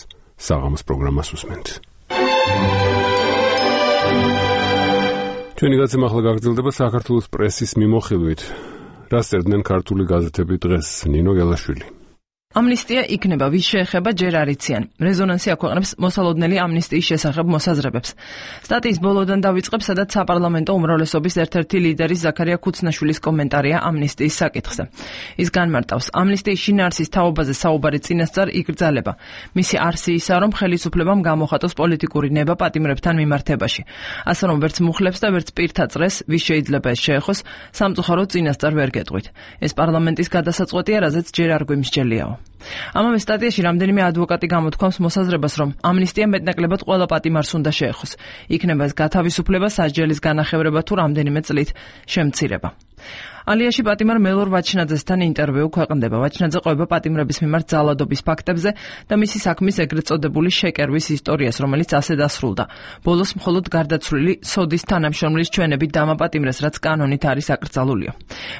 საღამოს პროგრამას უსმენთ. ჩვენი გაცემა ახლა გაგრძელდება საქართველოს პრესის მიმოხილვით. რას წერდნენ ქართული გაზეთები დღეს? ნინო გელაშვილი. ამნისტია იქნება, ვის შეეხება ჯერ არ იციან. რეზონანსი აქვეყნებს მოსალოდნელი ამნისტიის შესახებ მოსაზრებებს. სტატიის ბოლოდან დავიწყებ, სადაც საპარლამენტო უმრავლესობის ერთ-ერთი ლიდერის ზაქარია ქუცნაშვილის კომენტარია ამნისტიის საკითხზე. ის განმარტავს, ამნისტიის შინაარსის თაობაზე საუბარი წინასწარ იკრძალება. მისი არსი ისაა, რომ ხელისუფლებამ გამოხატოს პოლიტიკური ნება პატიმრებთან მიმართებაში. ასე რომ ვერც მუხლებს და ვერც პირთა წრეს, ვის შეიძლება ეს შეეხოს, სამწუხაროდ წინასწარ ვერ გეტყვით. ეს პარლამენტის გადასაწყვეტია, რაზეც ჯერ არ გვიმსჯელიაო. ამავე სტატიაში რამდენიმე ადვოკატი გამოთქვამს მოსაზრებას, რომ ამნისტია მეტნაკლებად ყველა პატიმარს უნდა შეეხოს. იქნება ეს გათავისუფლება, სასჯელის განახევრება თუ რამდენიმე წლით შემცირება. ალიაში პატიმარ მელორ ვაჩნაძესთან ინტერვიუ ქვეყნდება. ვაჩნაძე ყვება პატიმრების მიმართ ძალადობის ფაქტებზე და მისი საქმის ეგრეთ წოდებული შეკერვის ისტორიას, რომელიც ასე დასრულდა. ბოლოს მხოლოდ გარდაცვლილი სოდის თანამშრომლის ჩვენებით დამაპატიმრეს, რაც კანონით არის აკრძალულია.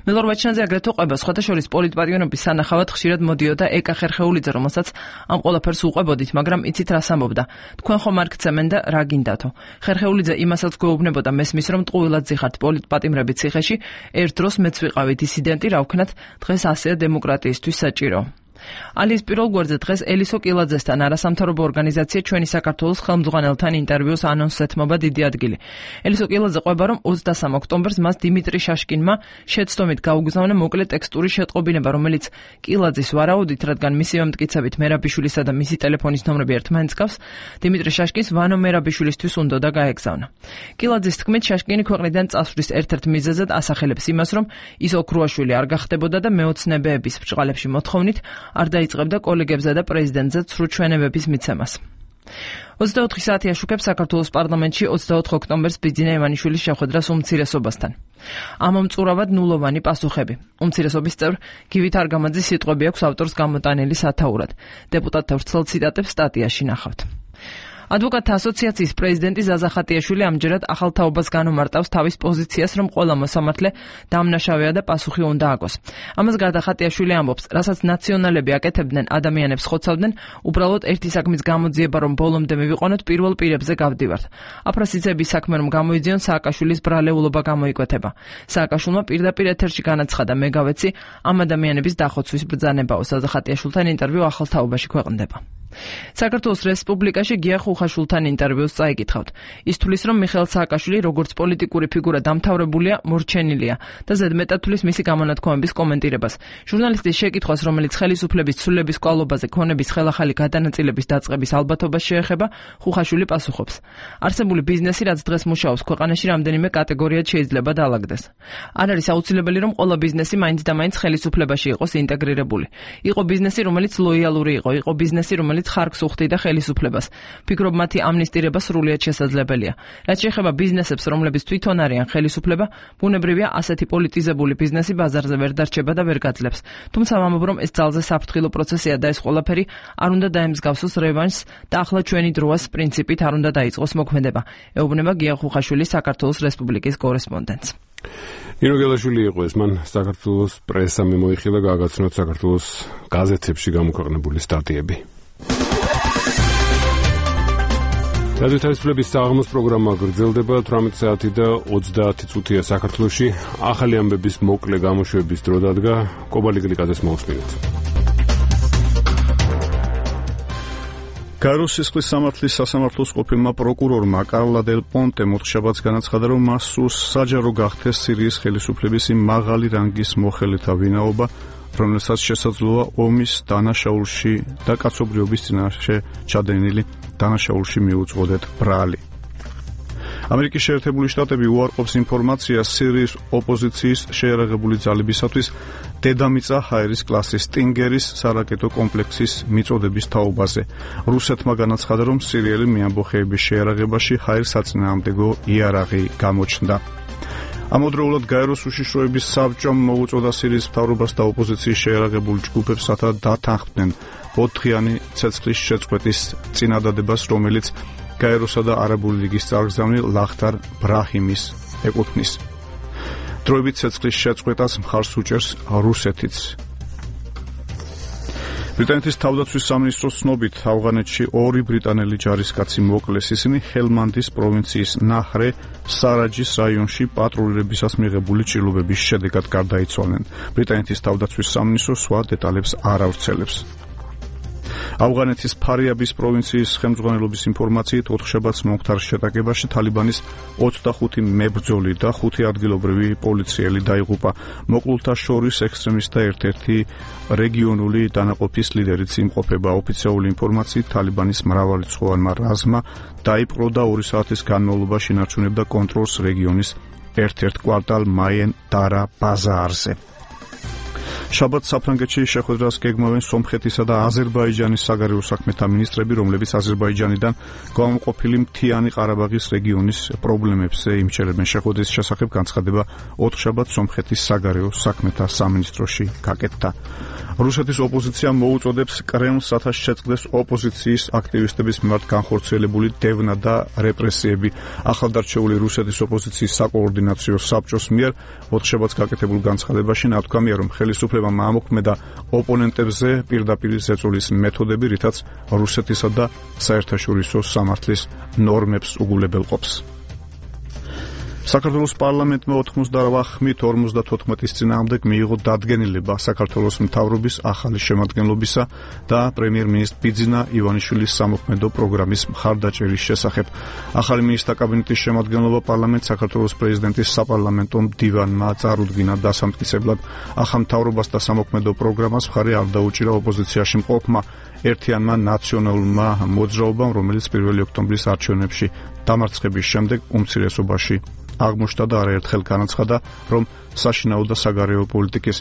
მელორ ვაჩნაძე აგრეთვე ყვება სხვათა შორის პოლიტპატიმრების სანახავად ხშირად მოდიოდა ეკა ხერხეულიძე, რომელსაც ამ ყველაფერს უყვებოდით, მაგრამ იცით რას ამბობდა. თქვენ ხომ არ გცემენ და რა გინდათო. ხერხეულიძე იმასაც გვეუბნებოდა მესმის, რომ ტყუილად ზიხართ პოლიტპატიმრები ციხეში, ერთ დროს მეც ვიყავი დისიდენტი, რა ვქნათ, დღეს ასეა დემოკრატიისთვის საჭირო. ალის პირველ გვერდზე დღეს ელისო კილაძესთან არასამთავრობო ორგანიზაცია ჩვენი საქართველოს ხელმძღვანელთან ინტერვიუს ანონსს ეთმობა დიდი ადგილი. ელისო კილაძე ყვება, რომ 23 ოქტომბერს მას დიმიტრი შაშკინმა შეცდომით გაუგზავნა მოკლე ტექსტური შეტყობინება, რომელიც კილაძის ვარაუდით, რადგან მისივე მტკიცებით მერაბიშვილისა და მისი ტელეფონის ნომრები ერთმანეთს გავს, დიმიტრი შაშკინს ვანო მერაბიშვილისთვის უნდოდა გაეგზავნა. კილაძის თქმით, შაშკინი ქვეყნიდან წასვლის ერთ-ერთ მიზეზად ასახელებს იმას, რომ ის ოქრუაშვილი არ გახდებოდა და მეოცნებეების ბრჭყალებში მოთხოვნით არ დაიწყებდა კოლეგებსა და პრეზიდენტზე ცრუ ჩვენებების მიცემას. 24 საათი აშუქებს საქართველოს პარლამენტში 24 ოქტომბერს ბიძინა ივანიშვილის შეხვედრას უმცირესობასთან. ამომწურავად ნულოვანი პასუხები. უმცირესობის წევრ გივით არგამაძის სიტყვები აქვს ავტორს გამოტანილი სათაურად. დეპუტატთა ვრცელ ციტატებს სტატიაში ნახავთ. ადვოკატთა ასოციაციის პრეზიდენტი ზაზა ხატიაშვილი ამჯერად ახალ თაობას განუმარტავს თავის პოზიციას, რომ ყველა მოსამართლე დამნაშავეა და პასუხი უნდა აგოს. ამას გარდა ხატიაშვილი ამბობს, რასაც ნაციონალები აკეთებდნენ, ადამიანებს ხოცავდნენ, უბრალოდ ერთი საქმის გამოძიება, რომ ბოლომდე მივიყვანოთ, პირველ პირებზე გავდივართ. აფროსიცების საქმე რომ გამოიძიონ, სააკაშვილის ბრალეულობა გამოიკვეთება. სააკაშვილმა პირდაპირ ეთერში განაცხადა, მე გავეცი ამ ადამიანების დახოცვის ბრძანებაო. ზაზა ხატიაშვილთან ინტერვიუ ახალ თაობაში ქვეყნდება. საქართველოს რესპუბლიკაში გია ხუხაშვილთან ინტერვიუს წაიკითხავთ. ის თვლის, რომ მიხეილ სააკაშვილი როგორც პოლიტიკური ფიგურა დამთავრებულია, მორჩენილია და ზედმეტად თვლის მისი გამონათქვამების კომენტირებას. ჟურნალისტის შეკითხვას, რომელიც ხელისუფლების ცვლილების კვალობაზე ქონების ხელახალი გადანაწილების დაწყების ალბათობას შეეხება, ხუხაშვილი პასუხობს. არსებული ბიზნესი, რაც დღეს მუშაობს ქვეყანაში, რამდენიმე კატეგორიად შეიძლება დაალაგდეს. არ არის აუცილებელი, რომ ყველა ბიზნესი მაინც და მაინც ხელისუფლებაში იყოს ინტეგრირებული. იყო ბიზნესი, რომელიც ლოიალური იყო ბიზნესი, რომელიც ხარკს უხდიდა ხელისუფლებას. ფიქრობ, მათი ამნისტირება სრულიად შესაძლებელია. რაც შეეხება ბიზნესებს, რომლებიც თვითონ არიან ხელისუფლება, ბუნებრივია ასეთი პოლიტიზებული ბიზნესი ბაზარზე ვერ დარჩება და ვერ გაძლებს. თუმცა ვამბობ, რომ ეს ძალზე საფრთხილო პროცესია და ეს ყველაფერი არ უნდა დაემსგავსოს რევანშს და ახლა ჩვენი დროას პრინციპით არ უნდა დაიწყოს მოქმედება. ეუბნება გია ხუხაშვილი, საქართველოს რესპუბლიკის კორესპონდენტს. ნინო გელაშვილი იყო ეს, მან საქართველოს პრესამ მოიხილა გააგაცნოთ საქართველოს გაზეთებში გამოქვეყნებული სტატიები. რადიო თავისუფლების საღამოს პროგრამა გრძელდება 18 საათი და 30 წუთია საქართველოში. ახალი ამბების მოკლე გამოშვების დრო დადგა. კობალი გლიკაძეს მოусმინეთ. გაეროს სისხლის სამართლის სასამართლოს ყოფილმა პროკურორმა კარლა დელ პონტე მოთხშაბათს განაცხადა, რომ მას სურს საჯარო გახდეს სირიის ხელისუფლების იმ მაღალი რანგის მოხელეთა ვინაობა, რომელსაც შესაძლოა ომის დანაშაულში და კაცობრიობის წინაშე ჩადენილი დანაშაულში მიუძღოდეთ ბრალი. ამერიკის შეერთებული შტატები უარყოფს ინფორმაციას სირიის ოპოზიციის შეერაღებული ძალებისათვის დედამიწა ჰაერის კლასის სტინგერის სარაკეტო კომპლექსის მიწოდების თაობაზე. რუსეთმა განაცხადა, რომ სირიელი მეამბოხეების შეერაღებაში ჰაერის საწინააღმდეგო იარაღი გამოჩნდა. ამავდროულად გაეროს უშიშროების საბჭომ მოუწოდა სირიის მთავრობას და ოპოზიციის შეერაღებულ ჯგუფებს დათანხმდნენ 4-დღიანი ცეცხლის შეწყვეტის წინადადებას, რომელიც გაეროსა და არაბული ლიგის წარგზავნილ ლახტარ ბრაჰიმის ეკუთვნის. დროებით ცეცხლის შეწყვეტას მხარს უჭერს რუსეთიც. ბრიტანეთის თავდაცვის სამინისტროს ცნობით, ავღანეთში 2 ბრიტანელი ჯარისკაცი მოკლეს. ისინი ჰელმანდის პროვინციის ნაჰრე სარაჯის რაიონში პატრულირებისას მიღებული ჭრილობების შედეგად გარდაიცვალნენ. ბრიტანეთის თავდაცვის სამინისტრო სხვა დეტალებს არ ავრცელებს. ავღანეთის ფარიაბის პროვინციის ხელმძღვანელობის ინფორმაციით, 4 შაბათს მომხდარ შეტაკებაში თალიბანის 25 მებრძოლი და 5 ადგილობრივი პოლიციელი დაიღუპა. მოკლულთა შორის ექსტრემისტთა და ერთ-ერთი რეგიონული დანაყოფის ლიდერიც იმყოფება. ოფიციალური ინფორმაციით, თალიბანის მრავალრიცხოვანმა რაზმმა დაიპყრო და 2 საათის განმავლობაში ინარჩუნებდა კონტროლს რეგიონის ერთ-ერთ კვარტალ მაიენ დარა ბაზარზე. შაბათს საფრანგეთში შეხვედრას გეგმავენ სომხეთისა და აზერბაიჯანის საგარეო საქმეთა მინისტრები, რომლებიც აზერბაიჯანიდან გამოყოფილი მთიანი ყარაბაღის რეგიონის პრობლემებზე იმჩერებენ. შეხვედრის შესახებ განცხადება 4 შაბათს სომხეთის საგარეო საქმეთა სამინისტროში გაკეთდა. რუსეთის ოპოზიცია მოუწოდებს კრემლს, რათა შეწყდეს ოპოზიციის აქტივისტების მიმართ განხორციელებული დევნა და რეპრესიები. ახალდარჩეული რუსეთის ოპოზიციის საკოორდინაციო საბჭოს მიერ 4 შაბათს გაკეთებულ განცხადებაში ნათქვამია, რომ ხელისუფლებამ ამოქმედა ოპონენტებზე პირდაპირ ზეწოლის მეთოდები, რითაც რუსეთისა და საერთაშორისო სამართლის ნორმებს უგულებელყოფს. საქართველოს პარლამენტმა 98-54 წინააღმდეგ მიიღო დადგენილება საქართველოს მთავრობის ახალი შემადგენლობისა და პრემიერ-მინისტრ ბიძინა ივანიშვილის სამოქმედო პროგრამის მხარდაჭერის შესახებ. ახალი მინისტრთა კაბინეტის შემადგენლობა პარლამენტს საქართველოს პრეზიდენტის საპარლამენტო მდივანმა წარუდგინა დასამტკიცებლად. ახალ მთავრობას და სამოქმედო პროგრამას მხარი არ დაუჭირა ოპოზიციაში მყოფმა ერთიანმა ნაციონალურმა მოძრაობამ, რომელიც 1 ოქტომბრის არჩევნებში დამარცხების შემდეგ უმცირესობაში აღმოჩნდა და არაერთხელ განაცხადა, რომ საშინაო და საგარეო პოლიტიკის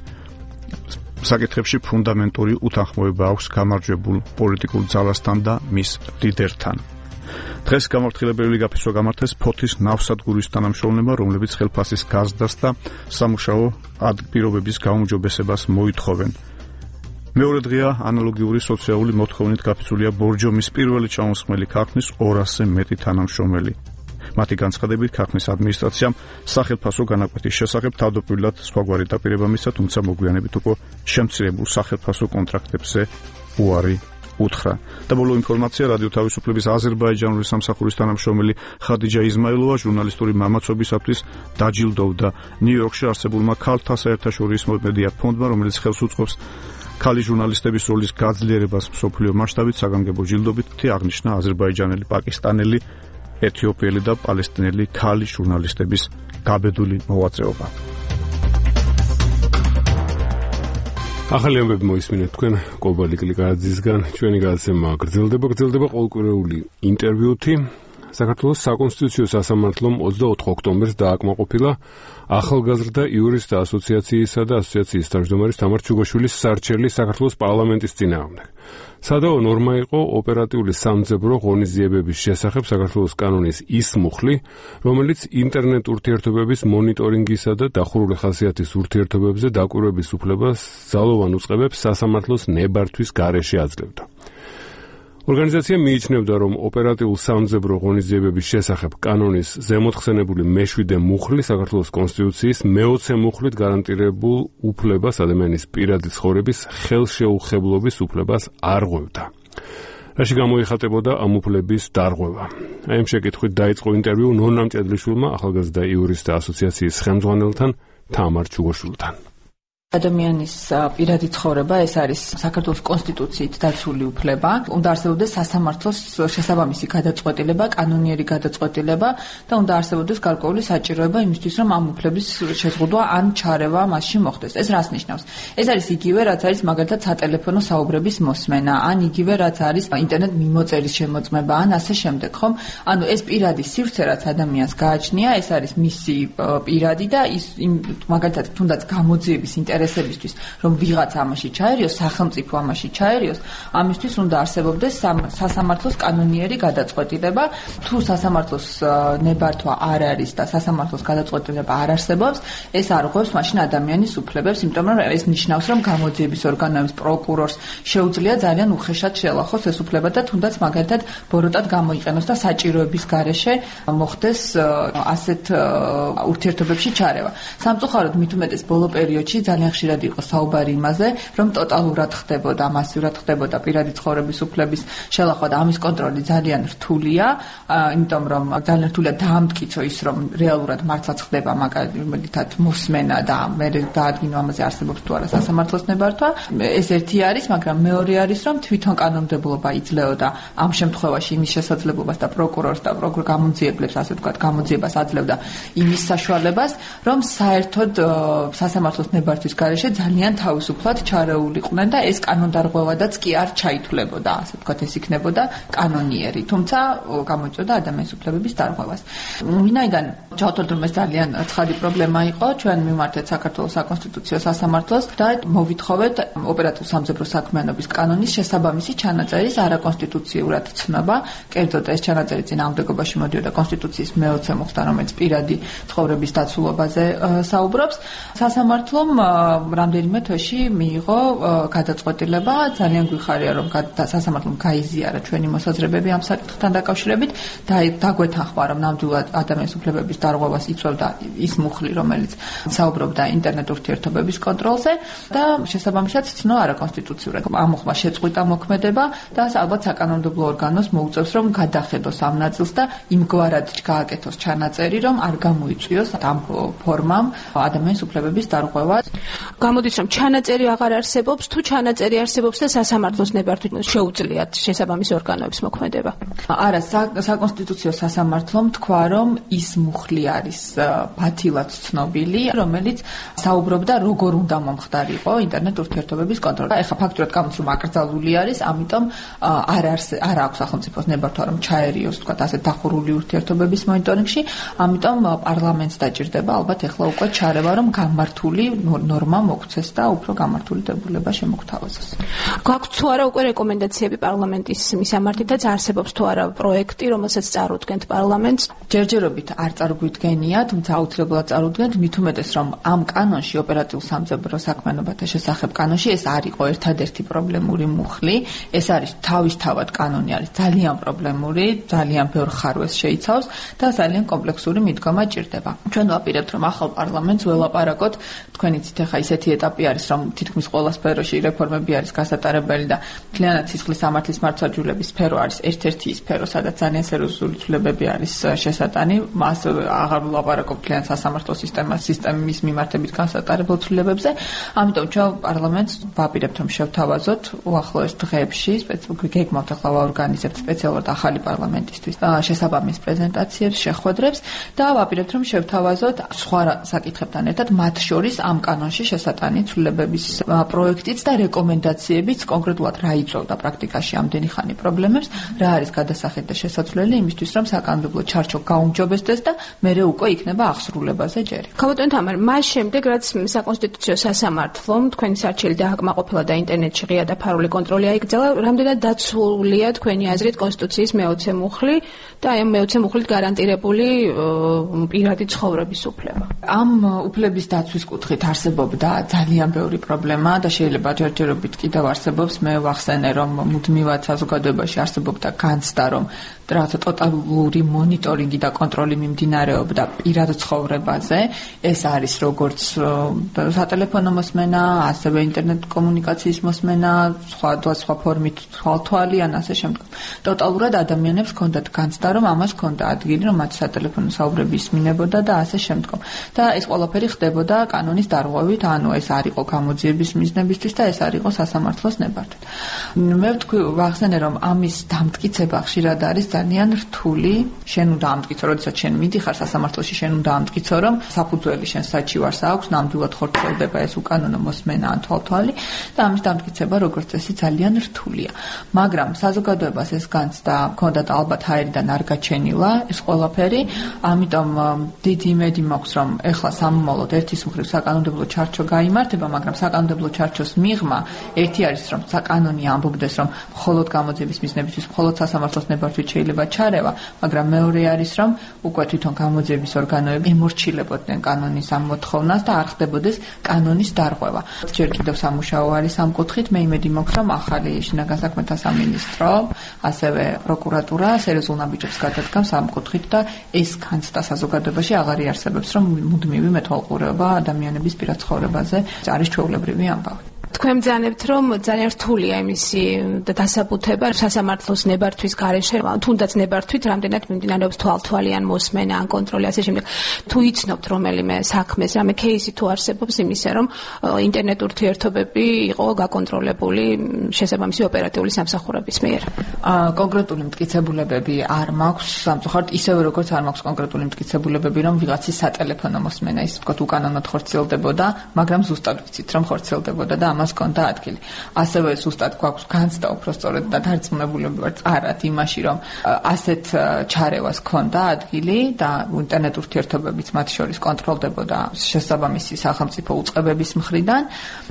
საკითხებში ფუნდამენტური უთანხმოება აქვს გამარჯვებულ პოლიტიკურ ძალასთან და მის ლიდერთან. დღეს გამართლებელი გაფიცვა გამართეს ფოთის ნავსადგურის თანამშრომლებმა, რომლებიც ხელფასის გაზრდას და სამუშაო პირობების გაუმჯობესებას მოითხოვენ. მეორე დღეა ანალოგიური სოციალური მოთხოვნით გაფიცულია ბორჯომის პირველი ჩამოსხმელი ქარხნის 200-ზე მეტი თანამშრომელი. მათი განცხადებით, ქარხნის ადმინისტრაციამ სახელმწიფო განაკვეთის შესახებ თავდაპირველად სხვაგვარი დაპირება მისცა, თუმცა მოგვიანებით უკვე შემცირებულ სახელმწიფო კონტრაქტებზე უარი უთხრა. და ბოლო ინფორმაცია რადიო თავისუფლების აზერბაიჯანული სამსახურის თანამშრომელი ხადიჯა იზმაილოვა ჟურნალისტური მამაცობისათვის დაჯილდოვდა ნიუ-იორკში არსებულმა ქალთა საერთაშორისო მედია ფონდმა, რომელიც ხელს უწყობს ქალი ჟურნალისტების როლის გაძლიერებას მსოფლიო მასშტაბით საგანგებო ჯილდობით, აღნიშნა აზერბაიჯანელი, პაკისტანელი, ეთიოპიელი და პალესტინელი ქალი ჟურნალისტების გაბედული მოღვაწეობა. ახალი ამბები მოისმინეთ თქვენ კობალი კლიკაძისგან. ჩვენი გადაცემა გრძელდება ყოველკვირეული ინტერვიუთი. საქართველოს საკონსტიტუციო სასამართლომ 24 ოქტომბერს დააკმაყოფილა ახალგაზრდა იურისტთა ასოციაციისა და ასოციაციის თავმჯდომარის თამარ ჩუგაშვილის სარჩელი საქართველოს პარლამენტის წინააღმდეგ. სადავო ნორმა იყო ოპერატიული სამძებრო ღონისძიებების შესახებ საქართველოს კანონის ის მუხლი, რომელიც ინტერნეტ ურთიერთობების მონიტორინგისა და დახურული ხასიათის ურთიერთობებზე დაკვირვების უფლებას ძალოვან უწყებებს სასამართლოს ნებართვის გარეშე აძლევდა. ორგანიზაცია მიიჩნევდა, რომ ოპერატიულ სამძებრო ღონისძიებების შესახებ კანონის ზემოთხსენებული მე-7 მუხლი საქართველოს კონსტიტუციის მე-20 მუხლით გარანტირებულ უფლებას ადამიანის პირადი ცხოვრების ხელშეუხებლობის უფლებას არ ღვევდა. რაში გამოიხატებოდა ამ უფლების დარღვევა. აი ამ შეკითხვით დაიწყო ინტერვიუ ნონა მჭედლიშვილმა ახალგაზრდა იურისტთა ასოციაციის ხელმძღვანელთან თამარ ჩუგოშვილთან. ადამიანის პირადი ცხოვრება ეს არის საქართველოს კონსტიტუციით დაცული უფლება. უნდა არსებობდეს სასამართლოს შესაბამისი გადაწყვეტილება, კანონიერი გადაწყვეტილება და უნდა არსებობდეს გარკვეული საჭიროება იმისთვის, რომ ამ უფლების შეზღუდვა ან ჩარევა მასში მოხდეს. ეს რას ნიშნავს? ეს არის იგივე, რაც არის მაგალითად სატელეფონო საუბრების მოსმენა, ან იგივე, რაც არის ინტერნეტ მიმოწერის შემოწმება, ან ასე შემდეგ, ხომ? ანუ ეს პირადი სივრცე, რაც ადამიანს გააჩნია, ეს არის მისი პირადი და ის მაგალითად თუნდაც გამოძიების ინტერესებისთვის, რომ ვიღაც ამაში ჩაერიოს, სახელმწიფო ამაში ჩაერიოს, ამისთვის უნდა არსებობდეს სასამართლოს კანონიერი გადაწყვეტილება. თუ სასამართლოს ნებართვა არ არის და სასამართლოს გადაწყვეტილება არ არსებობს, ეს არ ღვევს მაშინ ადამიანის უფლებებს, იმიტომ რომ ეს ნიშნავს, რომ გამოძიების ორგანოებს, პროკურორს შეუძლია ძალიან უხეშად შეელახოს ეს უფლება და თუნდაც მაგალითად ბოროტად გამოიყენოს და საჭიროების გარეშე მოხდეს ასეთ ურთიერთობებში ჩარევა. სამწუხაროდ მით უმეტეს ბოლო პერიოდში ძალიან ხშირად იყო საუბარი იმაზე, რომ ტოტალურად ხდებოდა, მასიურად ხდებოდა პირადი ცხოვრების უფლების შელახვა და ამის კონტროლი ძალიან რთულია, იმიტომ რომ ძალიან რთულია დაამტკიცო ის, რომ რეალურად მართლაც ხდება მაგალითად მოსმენა და მე დაადგინო ამაზე არსებობს თუ არა სასამართლოს ნებართვა. ეს ერთი არის, მაგრამ მეორე არის, რომ თვითონ კანონმდებლობა იძლეოდა ამ შემთხვევაში იმის შესაძლებლობას და პროკურორს და გამოძიებლებს, ასე ვთქვათ, გამოძიებას აძლევდა იმის საშუალებას, რომ საერთოდ სასამართლოს ნებართვის გარეშე ძალიან თავისუფლად ჩარეულიყვნენ და ეს კანონდარღვევადაც კი არ ჩაითვლებოდა, ასე ვთქვათ, ეს იქნებოდა კანონიერი, თუმცა გამოიწვევდა ადამიანის უფლებების დარღვევას. ვინაიდან ჩავთვალეთ, რომ ეს ძალიან ცხადი პრობლემა იყო, ჩვენ მივმართეთ საქართველოს საკონსტიტუციო სასამართლოს და მოვითხოვეთ ოპერატიულ სამძებრო საქმიანობის კანონის შესაბამისი ჩანაწერის არაკონსტიტუციურად ცნობა. კერძოდ ეს ჩანაწერი წინააღმდეგობაში მოდიოდა კონსტიტუციის მე-20 მუხლთან, რომელიც პირადი ცხოვრების დაცულობაზე საუბრობს. სასამართლომ რამდენიმე თვეში მიიღო გადაწყვეტილება. ძალიან გვიხარია, რომ სასამართლომ გაიზიარა ჩვენი მოსაზრებები ამ საკითხთან დაკავშირებით და დაგვეთანხმა, რომ ნამდვილად ადამიანის უფლებების დარღვევას იწვევდა ის მუხლი, რომელიც საუბრობდა ინტერნეტ ურთიერთობების კონტროლზე და შესაბამისად ცნო არაკონსტიტუციურად. ამ მუხლმა შეწყვიტა მოქმედება და ალბათ საკანონმდებლო ორგანოს მოუწევს, რომ გადახედოს ამ ნაწილს და იმგვარად გააკეთოს ჩანაწერი, რომ არ გამოიწვიოს ამ ფორმამ ადამიანის უფლებების დარღვევა. გამოდის, რომ ჩანაწერი აღარ არსებობს, თუ ჩანაწერი არსებობს და სასამართლოს ნებართვით შეუძლიათ შესაბამის ორგანოების მოქმედება. არა, საკონსტიტუციო სასამართლომ თქვა, რომ ის მუხლი არის ბათილად ცნობილი, რომელიც საუბრობდა, როგორ უნდა მომხდარიყო ინტერნეტ ურთიერთობების კონტროლი. ეხლა ფაქტურად გამოდის, რომ აკრძალული არის, ამიტომ არ აქვს სახელმწიფოს ნებართვა, რომ ჩაერიოს, თქვა, ასეთ დახურული ურთიერთობების მონიტორინგში, ამიტომ პარლამენტს დაჭირდება ალბათ ეხლა უკვე ჩარევა, რომ გამართული ღრმა მოქცეს და უფრო გამართული დებულება შემოგთავაზოს. გაქვთ თუ არა უკვე რეკომენდაციები პარლამენტის მისამართითაც არსებობს თუ არა პროექტი, რომელსაც წარუდგენთ პარლამენტს? ჯერჯერობით არ წარგვიდგენია, თუმცა აუცილებლად წარუდგენთ, მით უმეტეს რომ ამ კანონში ოპერატიულ სამძებრო საქმიანობათა შესახებ კანონში ეს არ იყო ერთადერთი პრობლემური მუხლი, ეს არის თავისთავად კანონი არის ძალიან პრობლემური, ძალიან ბევრ ხარვეს შეიცავს და ძალიან კომპლექსური მიდგომა ჭირდება. ჩვენ ვაპირებთ რომ ახალ პარლამენტს ველაპარაკოთ, თქვენ იცით ახლა ისეთი ეტაპი არის რომ თითქმის ყველა სფეროში რეფორმები არის გასატარებელი და მთლიანად სისხლის სამართლის მართლმსაჯულების სფერო არის ერთ-ერთი სფერო, სადაც ძალიან სერიოზული ცვლილებები არის შესატანი, მას აღარ ვლაპარაკობ მთლიან სასამართლო სისტემის მიმართებით გასატარებელ ცვლილებებზე, ამიტომ ჩვენ პარლამენტს ვაპირებთ რომ შევთავაზოთ უახლოეს დღეებში, გეგმავთ ახლა ვაორგანიზებთ სპეციალურად ახალი პარლამენტისთვის შესაბამის პრეზენტაციებს, შეხვედრებს და ვაპირებთ რომ შევთავაზოთ სხვა საკითხებთან ერთად მათ შორის ამ კანონში შესატანი ცვლილებების პროექტიც და რეკომენდაციებიც, კონკრეტულად რა იწვევდა პრაქტიკაში ამდენი ხანი პრობლემებს, რა არის გადასახედ და შესაძლებელი იმისთვის რომ საკანონმდებლო ჩარჩო გაუმჯობესდეს და მერე უკვე იქნება აღსრულებაზე ჯერი. ქალბატონ თამარ, მას შემდეგ რაც საკონსტიტუციო სასამართლომ თქვენი სარჩელი დააკმაყოფილა და ინტერნეტში ღია და ფარული კონტროლი აიკრძალა, რამდენად დაცულია თქვენი აზრით კონსტიტუციის მე-20 მუხლი და ამ მე-20 მუხლით გარანტირებული პირადი ცხოვრების უფლება? ამ უფლების დაცვის კუთხით არსებობდა ძალიან ბევრი პრობლემა და შეიძლება ჯერჯერობით კიდევ არსებობს. მე ვახსენე რომ მუდმივად საზოგადოებაში არსებობდა განცდა რომ რაღაცა ტოტალური მონიტორინგი და კონტროლი მიმდინარეობდა პირად ცხოვრებაზე. ეს არის როგორც სატელეფონო მოსმენა, ასევე ინტერნეტ კომუნიკაციის მოსმენა, სხვა ფორმით თვალთვალი ან ასე შემდეგ. ტოტალურად ადამიანებს ჰქონდათ განცდა რომ ამას ჰქონდა ადგილი, რომ მათ სატელეფონო საუბრები ისმინებოდა და ასე შემდეგ. და ეს ყველაფერი ხდებოდა კანონის დარღვევით, ანუ ეს არ იყო გამოძიების მიზნებისთვის და ეს არ იყო სასამართლოს ნებართვით. მე ვთქვი ვახსენე რომ ამის დამტკიცება ხშირად არის ძალიან რთული. შენ უნდა ამტკიცო, როდესაც შენ მიდიხარ სასამართლოში, შენ უნდა ამტკიცო, რომ საფუძველი შენ საჩივარს აქვს, ნამდვილად ხორციელდება ეს უკანონო მოსმენა ან თვალთვალი და ამის დამტკიცება როგორც წესი ძალიან რთულია. მაგრამ საზოგადოებას ეს განცდა ჰქონდათ ალბათ ჰაერიდან არ გაჩენილა ეს ყველაფერი, ამიტომ დიდი იმედი მაქვს, რომ ეხლა სამომავლოდ ერთის მხრივ საკანონმდებლო ჩარჩო გაიმართება, მაგრამ საკანონმდებლო ჩარჩოს მიღმა ერთი არის, რომ საკანონი ამბობდეს, რომ მხოლოდ გამოძიების მიზნებისთვის მხოლოდ სასამართლოს ნებართვით შეიძლება ჩარევა, მაგრამ მეორე არის, რომ უკვე თვითონ გამოძიების ორგანოები ემორჩილებოდნენ კანონის ამ მოთხოვნას და არ ხდებოდეს კანონის დარღვევა. ჯერ კიდევ სამუშაო არის ამ კუთხით, მე იმედი მაქვს, რომ ახალი შინაგან საქმეთა სამინისტრო, ასევე პროკურატურა სერიოზულ ნაბიჯებს გადადგამს ამ კუთხით და ეს განცდა საზოგადოებაში აღარ იარსებებს, რომ მუდმივი მეთვალყურეობა ადამიანების პირად ცხოვრებაზე არის ჩვეულებრივი ამბავი. თქვენ ბრძანებთ, რომ ძალიან რთულია იმისი დასაბუთება სასამართლოს ნებართვის გარეშე, თუნდაც ნებართვით რამდენად მიმდინარეობს თვალთვალიან მოსმენა ან კონტროლი ასე შემდეგ. თუ იცნობთ რომელიმე საქმეს, რამე кейსი თუ არსებობს იმისა, რომ ინტერნეტ ურთიერთობები იყო გაკონტროლებული შესაბამისი ოპერატიული სამსახურების მიერ? კონკრეტული მტკიცებულებები არ მაქვს, სამწუხაროდ ისევე როგორც არ მაქვს კონკრეტული მტკიცებულებები, რომ ვიღაცის სატელეფონო მოსმენა ის ვთქვათ უკანონოდ ხორციელდებოდა, მაგრამ ზუსტად ვიცით რომ ხორციელდებოდა და ამას ჰქონდა ადგილი. ასევე ზუსტად გვაქვს განცდა უпростоრად და დარწმუნებულები ვართ არად იმაში, რომ ასეთ ჩარევას ჰქონდა ადგილი და ინტერნეტ ურთიერთობებიც მათ შორის კონტროლდებოდა შესაბამისი სახელმწიფო უწყებების მხრიდან,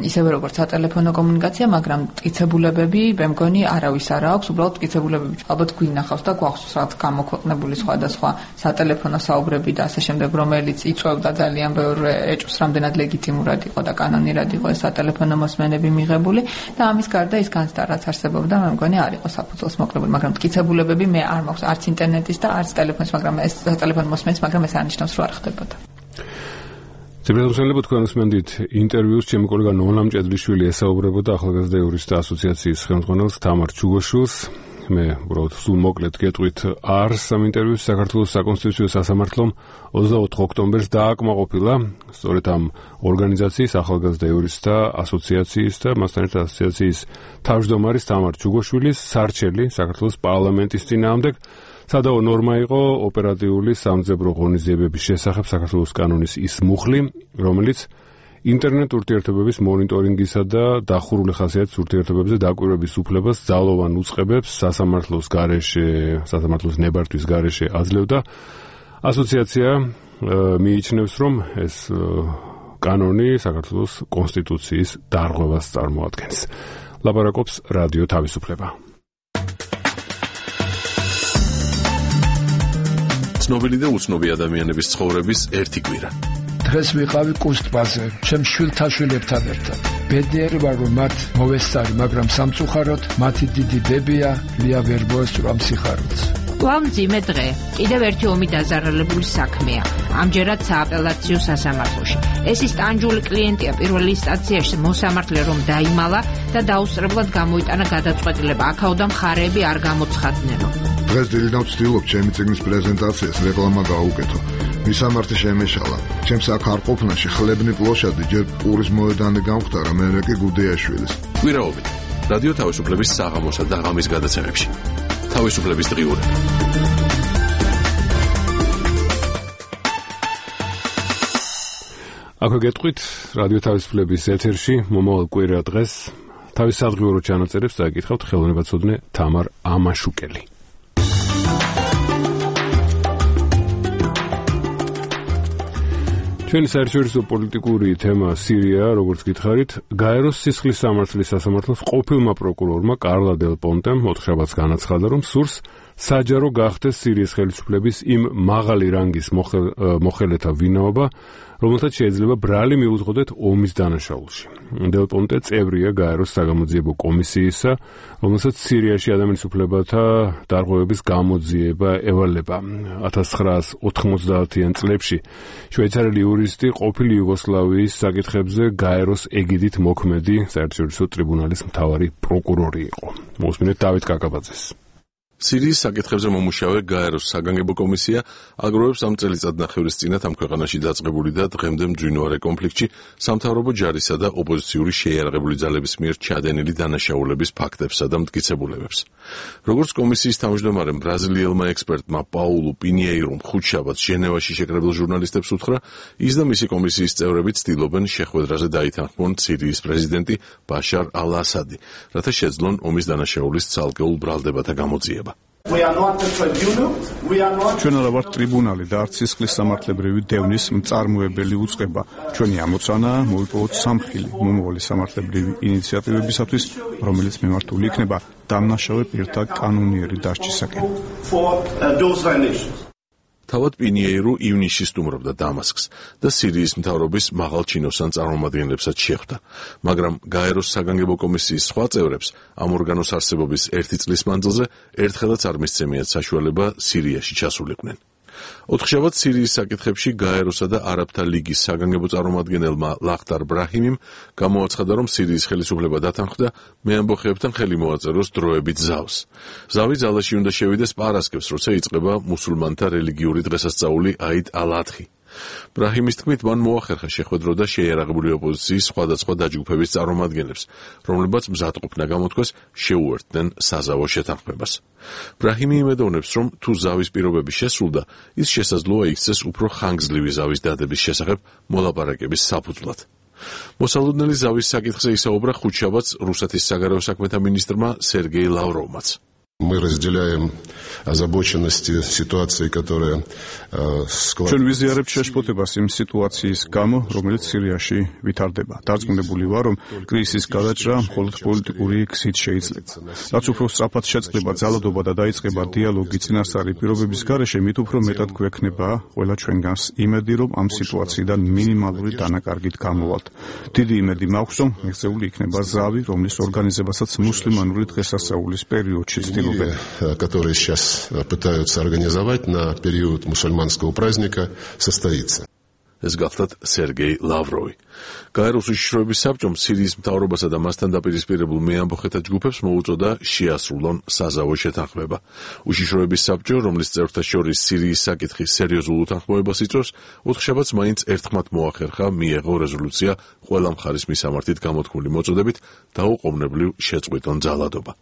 ისევე როგორც სატელეფონო კომუნიკაცია, მაგრამ მტკიცებულებები მე მგონი არავის არ აქვს, უბრალოდ მტკიცებულებები ალბათ გვინახავს და გვაქვს რაღაც გამოქვეყნებული სხვადასხვა სატელეფონო საუბრები და ასე შემდეგ, რომელიც იწვევდა ძალიან ბევრ ეჭვს, რამდენად ლეგიტიმურად იყო და კანონირად იყო ეს სატელეფონო მოსმენები მიღებული და ამის გარდა ის განცდა რაც არსებობდა, მე მგონი არ იყო საფუძველს მოკლებული, მაგრამ მტკიცებულებები მე არ მაქვს არც ინტერნეტის და არც ტელეფონის, მაგრამ ეს სატელეფონო მოსმენის, მაგრამ ეს არ ნიშნავს, რომ არ ხდებოდა. ძებნელოსნელები თქვენ უსმენდით ინტერვიუს ჩემი კოლეგა ნონა მჭედლიშვილი ესაუბრებოდა ახალგაზრდა იურისტთა ასოციაციის ხელმძღვანელს თამარ ჩუგოშვილს. მე უბრალოდ სულ მოკლედ გეტყვით არს ამ ინტერვიუს საქართველოს საკონსტიტუციო სასამართლომ 24 ოქტომბერს დააკმაყოფილა სწორედ ამ ორგანიზაციის ახალგაზრდა იურისტთა ასოციაციის და მასთან ერთად ასოციაციის თავმჯდომარის თამარ ჩუგოშვილის სარჩელი საქართველოს პარლამენტის წინააღმდეგ. სადაო ნორმა იყო ოპერატიული სამძებრო ღონისძიებების შესახებ საქართველოს კანონის ის მუხლი, რომელიც ინტერნეტ ურთიერთობების მონიტორინგისა და დახურული ხასიათის ურთიერთობებზე დაკვირვების უფლებას ძალოვან უწყებებს სასამართლოს გარეშე, სასამართლოს ნებართვის გარეშე აძლევდა. ასოციაცია მიიჩნევს, რომ ეს კანონი საქართველოს კონსტიტუციის დარღვევას წარმოადგენს. ლაპარაკობს რადიო თავისუფლება. ცნობილი და უცნობი ადამიანების ცხოვრების ერთი კვირა. დღეს ვიყავი კუსტბაზე, ჩემ შვილთან შვილებთან ერთად. ბედნიერი ვარ, რომ მათ მოვესწარი, მაგრამ სამწუხაროდ მათი დიდი დებია ლია ვერ მოესწრო ამ სიხარულს. მძიმე დღე. კიდევ ერთი ომი დაზარალებული საქმეა. ამჯერად სააპელაციო სასამართლოში. ეს ის ტანჯული კლიენტია პირველი ინსტანციაში მოსამართლე რომ დაიმალა და დაუსწრებლად გამოიტანა გადაწყვეტილება. აქაოდან მხარეები არ გამოცხადნენო. დღეს დილიდან ვცდილობ ჩემი წიგნის პრეზენტაციას რეკლამა გაუკეთო. მისამართი შემეშალა. ჩემს აქ არ ყოფნაში ხლებნი პლოშადი ჯერ პურის მოედანი გამختარა, მერე კი გუდეაშვილის. კვირაობით რადიო თავისუფლების საღამოსა და ღამის გადაცემებში. თავისუფლების დღიურები. აქ გეტყვით რადიო თავისუფლების ეთერში მომავალ კვირა დღეს თავის სადღიურო ჩანაწერებს დააკითხავთ ხელოვნებაცოდნე თამარ ამაშუკელი. ჩვენი საერთაშორისო პოლიტიკური თემა სირია, როგორც გითხარით, გაეროს სისხლის სამართლის სასამართლოს ყოფილმა პროკურორმა კარლა დელ პონტემ მოთხოვნას განაცხადა, რომ სურს საჯარო გახდეს სირიის ხელისუფლების იმ მაღალი რანგის მოხელეთა ვინაობა, რომელთაც შეიძლება ბრალი მიუძღოდეთ ომის დანაშაულში. დელ პონტე წევრია გაეროს საგამოძიებო კომისიისა, რომელსაც სირიაში ადამიანის უფლებათა დარღვევების გამოძიება ევალება. 1990-იან წლებში შვეიცარიელი იურისტი ყოფილი იუგოსლავიის საკითხებზე გაეროს ეგიდით მოქმედი საერთაშორისო ტრიბუნალის მთავარი პროკურორი იყო. მოусმინეთ დავით კაკაბაძეს. სირიის საკითხებზე მომუშავე გაეროს საგანგებო კომისია აგროვებს ამ წელიწადნახევრის წინათ ამ ქვეყანაში დაწყებული და დღემდე მძვინვარე კონფლიქტში სამთავრობო ჯარისა და ოპოზიციური შეიარაღებული ძალების მიერ ჩადენილი დანაშაულების ფაქტებსა და მტკიცებულებებს. როგორც კომისიის თავმჯდომარემ ბრაზილიელმა ექსპერტმა პაულუ პინიეირომ ხუთშაბათს ჟენევაში შეკრებილ ჟურნალისტებს უთხრა, ის და მისი კომისიის წევრები ცდილობენ შეხვედრაზე დაითანხმონ სირიის პრეზიდენტი ბაშარ ალ-ასადი, რათა შეძლონ ომის დანაშაულის ცალკეულ ბრალდებათა გამოძიება. ჩვენ არა ვართ ტრიბუნალი და არც სისხლის სამართლებრივი დევნის მწარმოებელი უწყება. ჩვენი ამოცანაა მოიპოვოთ სამხილი მომავალი სამართლებრივი ინიციატივებისათვის, რომელიც მიმართული იქნება დამნაშავე პირთა კანონიერი დასჯისაკენ. თავად პინიეირო ივნისში სტუმრობდა დამასკს და სირიის მთავრობის მაღალ ჩინოსან წარმომადგენლებსაც შეხვდა, მაგრამ გაეროს საგანგებო კომისიის სხვა წევრებს ამ ორგანოს არსებობის ერთი წლის მანძილზე ერთხელაც არ მისცემიათ საშუალება სირიაში ჩასულიყვნენ. ოთხშაბათს სირიის საკითხებში გაეროსა და არაბთა ლიგის საგანგებო წარმომადგენელმა ლახტარ ბრაჰიმიმ გამოაცხადა, რომ სირიის ხელისუფლება დათანხმდა მეამბოხეებთან ხელი მოაწეროს დროებით ზავს. ზავი ძალაში უნდა შევიდეს პარასკევს, როცა იწყება მუსულმანთა რელიგიური დღესასწაული აიდ ალ-ადხი. ბრაჰიმის თქმით, მან მოახერხა შეხვედრო და შეიარაღებული ოპოზიციის სხვადასხვა დაჯგუფების წარმომადგენლებს, რომლებაც მზადყოფნა გამოთქვეს შეუერთდნენ საზავო შეთანხმებას. ბრაჰიმი იმედოვნებს, რომ თუ ზავის პირობები შესრულდა, ის შესაძლოა იქცეს უფრო ხანგრძლივი ზავის დადების შესახებ მოლაპარაკების საფუძვლად. მოსალოდნელი ზავის საკითხზე ისაუბრა ხუთშაბათს რუსეთის საგარეო საქმეთა მინისტრმა სერგეი ლავროვმაც. Мы разделяем озабоченность ситуации, которая складывается. ჩვენ ვიზიარებთ შეშფოთებას იმ სიტუაციის გამო, რომელიც სირიაში ვითარდება. დარწმუნებული ვარ, რომ კრიზისის გადაჭრა მხოლოდ პოლიტიკური გზით შეიძლება. რაც უფრო სწრაფად შეწყდება ძალადობა და დაიწყება დიალოგი წინასწარი პირობების გარეშე, მით უფრო მეტად გვექნება ყველა ჩვენგანს იმედი, რომ ამ სიტუაციიდან მინიმალური დანაკარგით გამოვალთ. დიდი იმედი მაქვს, რომ მიღწეული იქნება ზავი, რომლის ორგანიზებასაც მუსლიმანური დღესასწაულის პერიოდში которые сейчас пытаются организовать на период мусульманского праздника, состоится. ეს გახლდათ სერგეი ლავროვი. გაეროს უშიშროების საბჭომ სირიის მთავრობასა და მასთან დაპირისპირებულ მეამბოხეთა ჯგუფებს მოუწოდა შეასრულონ საზავო შეთანხმება. უშიშროების საბჭო, რომლის წევრთა შორის სირიის საკითხის სერიოზულ უთანხმოებას იწვევს, ოთხშაბათს მაინც ერთხმად მოახერხა მიეღო რეზოლუცია ყველა მხარის მისამართით გამოთქმული მოწოდებით დაუყოვნებლივ შეწყვიტონ ძალადობა.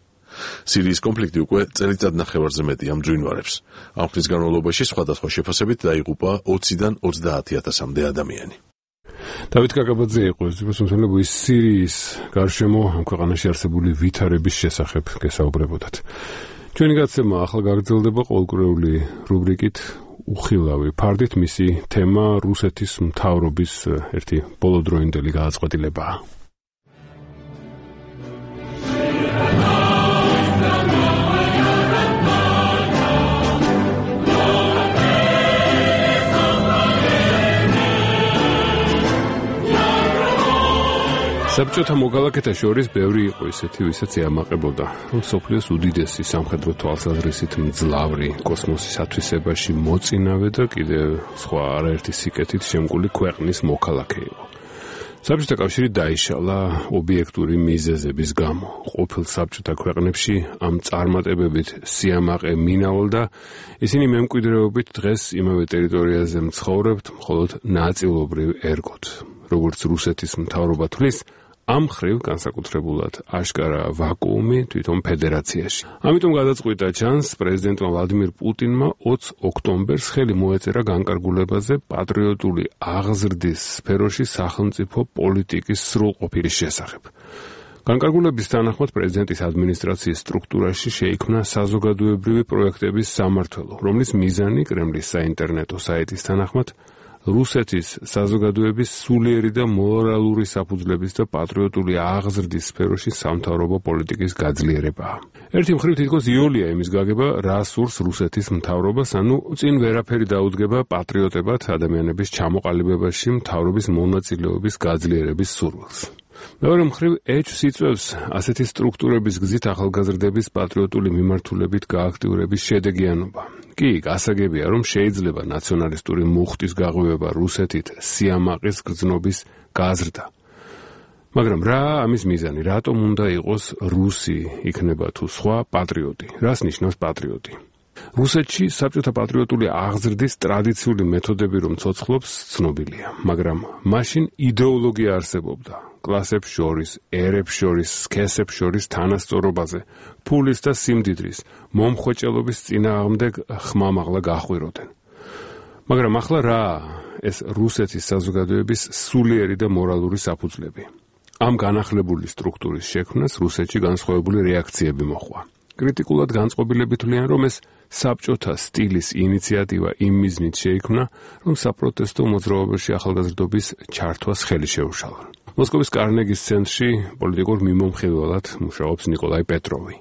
სირიის კონფლიქტი უკვე წელიწადნახევარზე მეტია მძვინვარებს. ამ ხნის განმავლობაში სხვადასხვა შეფასებით დაიღუპა 20-დან 30,000-მდე ადამიანი. დავით კაკაბაძე იყო ეს სირიის გარშემო ამ ქვეყანაში არსებული ვითარების შესახებ გესაუბრებოდათ. ჩვენი გაცემა ახლა გაგრძელდება ყოველკვირეული რუბრიკით უხილავი ფარდით მისი თემა რუსეთის მთავრობის ერთი ბოლოდროინდელი გადაწყვეტილებაა. საბჭოთა მოქალაქეთა შორის ბევრი იყო ისეთი, ვისაც ეამაყებოდა, რომ სოფლიოს უდიდესი სამხედრო თვალსაზრისით მძლავრი კოსმოსის ათვისებაში მოწინავე და კიდევ სხვა არაერთი სიკეთით შემკული ქვეყნის მოქალაქე იყო. საბჭოთა კავშირი დაიშალა ობიექტური მიზეზების გამო. ყოფილ საბჭოთა ქვეყნებში ამ წარმატებებით სიამაყე მინავალდა, ისინი მემკვიდრეობით დღეს იმავე ტერიტორიაზე მცხოვრებთ, მხოლოდ ნაწილობრივ ერგოთ. როგორც რუსეთის მთავრობა თვლის, ამ ხრივ განსაკუთრებულად აშკარა ვაკუუმი თვითონ ფედერაციაში. ამიტომ გადაწყვიტა ჩანს პრეზიდენტმა ვლადიმირ პუტინმა 20 ოქტომბერს ხელი მოეწერა განკარგულებაზე პატრიოტული აღზრდის სფეროში სახელმწიფო პოლიტიკის სრულყოფილის შესახებ. განკარგულების თანახმად პრეზიდენტის ადმინისტრაციის სტრუქტურაში შეიქმნა საზოგადოებრივი პროექტების სამმართველო, რომლის მიზანი კრემლის საინტერნეტო საიტის თანახმად რუსეთის საზოგადოების სულიერი და მორალური საფუძვლების და პატრიოტული აღზრდის სფეროში სამთავრობო პოლიტიკის გაძლიერებაა. ერთი მხრივ თითქოს იოლია იმის გაგება, რა სურს რუსეთის მთავრობას, ანუ წინ ვერაფერი დაუდგება პატრიოტებად ადამიანების ჩამოყალიბებაში მთავრობის მონაწილეობის გაძლიერების სურვილს. მეორე მხრივ ეჭვს იწვევს ასეთი სტრუქტურების გზით ახალგაზრდების პატრიოტული მიმართულებით გააქტიურების შედეგიანობა. კი, გასაგებია, რომ შეიძლება ნაციონალისტური მუხტის გაღვივება რუსეთით სიამაყის გრძნობის გაზრდა. მაგრამ რა ამის მიზანი? რატომ უნდა იყოს რუსი, იქნება თუ სხვა პატრიოტი? რას ნიშნავს პატრიოტი? რუსეთში საბჭოთა პატრიოტული აღზრდის ტრადიციული მეთოდები რომ ცოცხლობს, ცნობილია, მაგრამ მაშინ იდეოლოგია არსებობდა. კლასებს შორის, ერებს შორის, სქესებს შორის თანასწორობაზე, ფულის და სიმდიდრის, მომხვეჭელობის წინააღმდეგ ხმამაღლა გახვიროდნენ. მაგრამ ახლა რა ეს რუსეთის საზოგადოების სულიერი და მორალური საფუძვლები? ამ განახლებული სტრუქტურის შექმნას რუსეთში განსხვავებული რეაქციები მოჰყვა. კრიტიკულად განწყობილები თვლიან, რომ ეს საბჭოთა სტილის ინიციატივა იმ მიზნით შეიქმნა, რომ საპროტესტო მოძრაობაში ახალგაზრდობის ჩართვას ხელი შეუშალა. მოსკოვის კარნეგის ცენტრში პოლიტიკურ მიმომხილველად მუშაობს ნიკოლაი პეტროვი.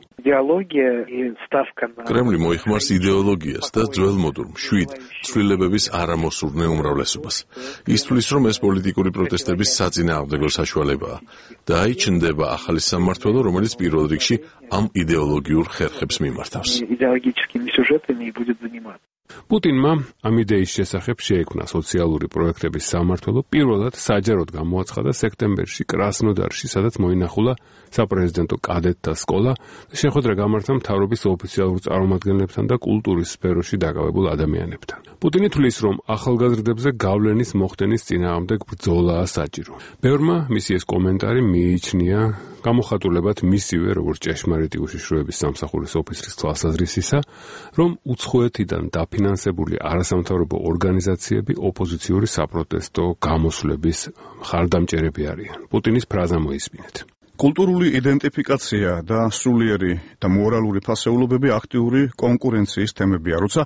კრემლი მოიხმარს იდეოლოგიას და ძველმოდურ მშვიდ ცვლილებების არამოსურნე უმრავლესობას. ის თვლის, რომ ეს პოლიტიკური პროტესტების საწინააღმდეგო საშუალებაა და აიჩნდება ახალი სამმართველო, რომელიც პირველ რიგში ამ იდეოლოგიურ ხერხებს მიმართავს. პუტინმა ამ იდეის შესახებ შეექმნა სოციალური პროექტების სამმართველო, პირველად საჯაროდ გამოაცხადა სექტემბერში კრასნოდარში, სადაც მოინახულა საპრეზიდენტო კადეტთა სკოლა და შეხვედრა გამართა მთავრობის ოფიციალურ წარმომადგენლებთან და კულტურის სფეროში დაკავებულ ადამიანებთან. პუტინი თვლის, რომ ახალგაზრდებზე გავლენის მოხდენის წინააღმდეგ ბრძოლაა საჭირო. ბევრმა მისი ეს კომენტარი მიიჩნია გამოხატულებად მისივე, როგორც ჭეშმარიტი უშიშროების სამსახურის ოფიცრის თვალსაზრისისა, რომ უცხოეთიდან დაფინანსებული არასამთავრობო ორგანიზაციები ოპოზიციური საპროტესტო გამოსვლების მხარდამჭერები არიან. პუტინის ფრაზა მოისმინეთ. კულტურული იდენტიფიკაცია და სულიერი და მორალური ფასეულობები აქტიური კონკურენციის თემებია, როცა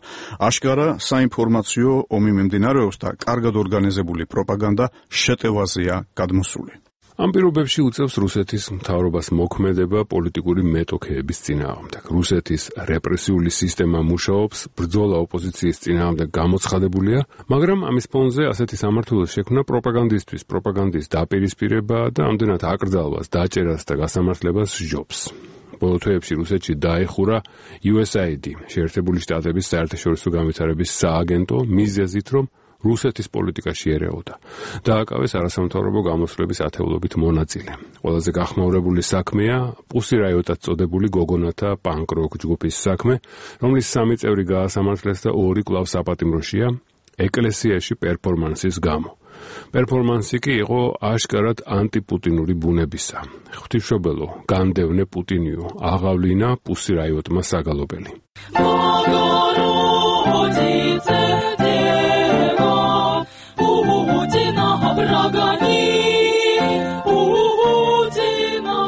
აშკარა საინფორმაციო ომი მიმდინარეობს და კარგად ორგანიზებული პროპაგანდა შეტევაზეა გადმოსული. ამ პირობებში უწევს რუსეთის მთავრობას მოქმედება პოლიტიკური მეტოქეების წინააღმდეგ. რუსეთის რეპრესიული სისტემა მუშაობს, ბრძოლა ოპოზიციის წინააღმდეგ გამოცხადებულია, მაგრამ ამის ფონზე ასეთი სამმართველოს შექმნა პროპაგანდისტვის, პროპაგანდის დაპირისპირება და ამდენად აკრძალვას, დაჭერას და გასამართლებას სჯობს. ბოლო თვეებში რუსეთში დაეხურა USAID, შეერთებული შტატების საერთაშორისო განვითარების სააგენტო, მიზეზით, რომ რუსეთის პოლიტიკაში ერეოდა. დააკავეს არასამთავრობო გამოსვლების ათეულობით მონაწილე. ყველაზე გახმაურებული საქმეა პუსი რაიოტად წოდებული გოგონათა პანკ-როკ ჯგუფის საქმე, რომლის 3 წევრი გაასამართლეს და 2 კვლავ საპატიმროშია ეკლესიაში პერფორმანსის გამო. პერფორმანსი კი იყო აშკარად ანტიპუტინური ბუნებისა. ღვთისმშობელო, განდევნე პუტინიო, აღავლინა პუსი რაიოტმა საგალობელი.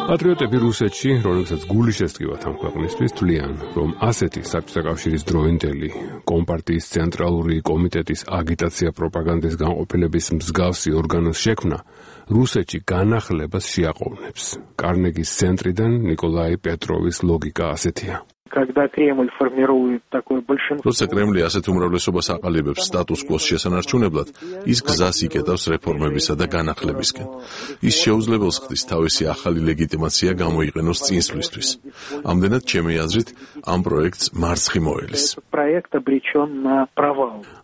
პატრიოტები რუსეთში, რომლებსაც გული შესტკივათ ამ ქვეყნისთვის, თვლიან, რომ ასეთი საბჭოთა კავშირის დროინდელი კომპარტიის ცენტრალური კომიტეტის აგიტაცია პროპაგანდის განყოფილების მსგავსი ორგანოს შექმნა რუსეთში განახლებას შეაყოვნებს. კარნეგის ცენტრიდან ნიკოლაი პეტროვის ლოგიკა ასეთია. როცა კრემლი ასეთ უმრავლესობას აყალიბებს სტატუს-კვოს შესანარჩუნებლად, ის გზას იკეტავს რეფორმებისა და განახლებისკენ. ის შეუძლებელს ხდის თავისი ახალი ლეგიტიმაცია გამოიყენოს წინსვლისთვის. ამდენად, ჩემი აზრით, ამ პროექტს მარცხი მოელის.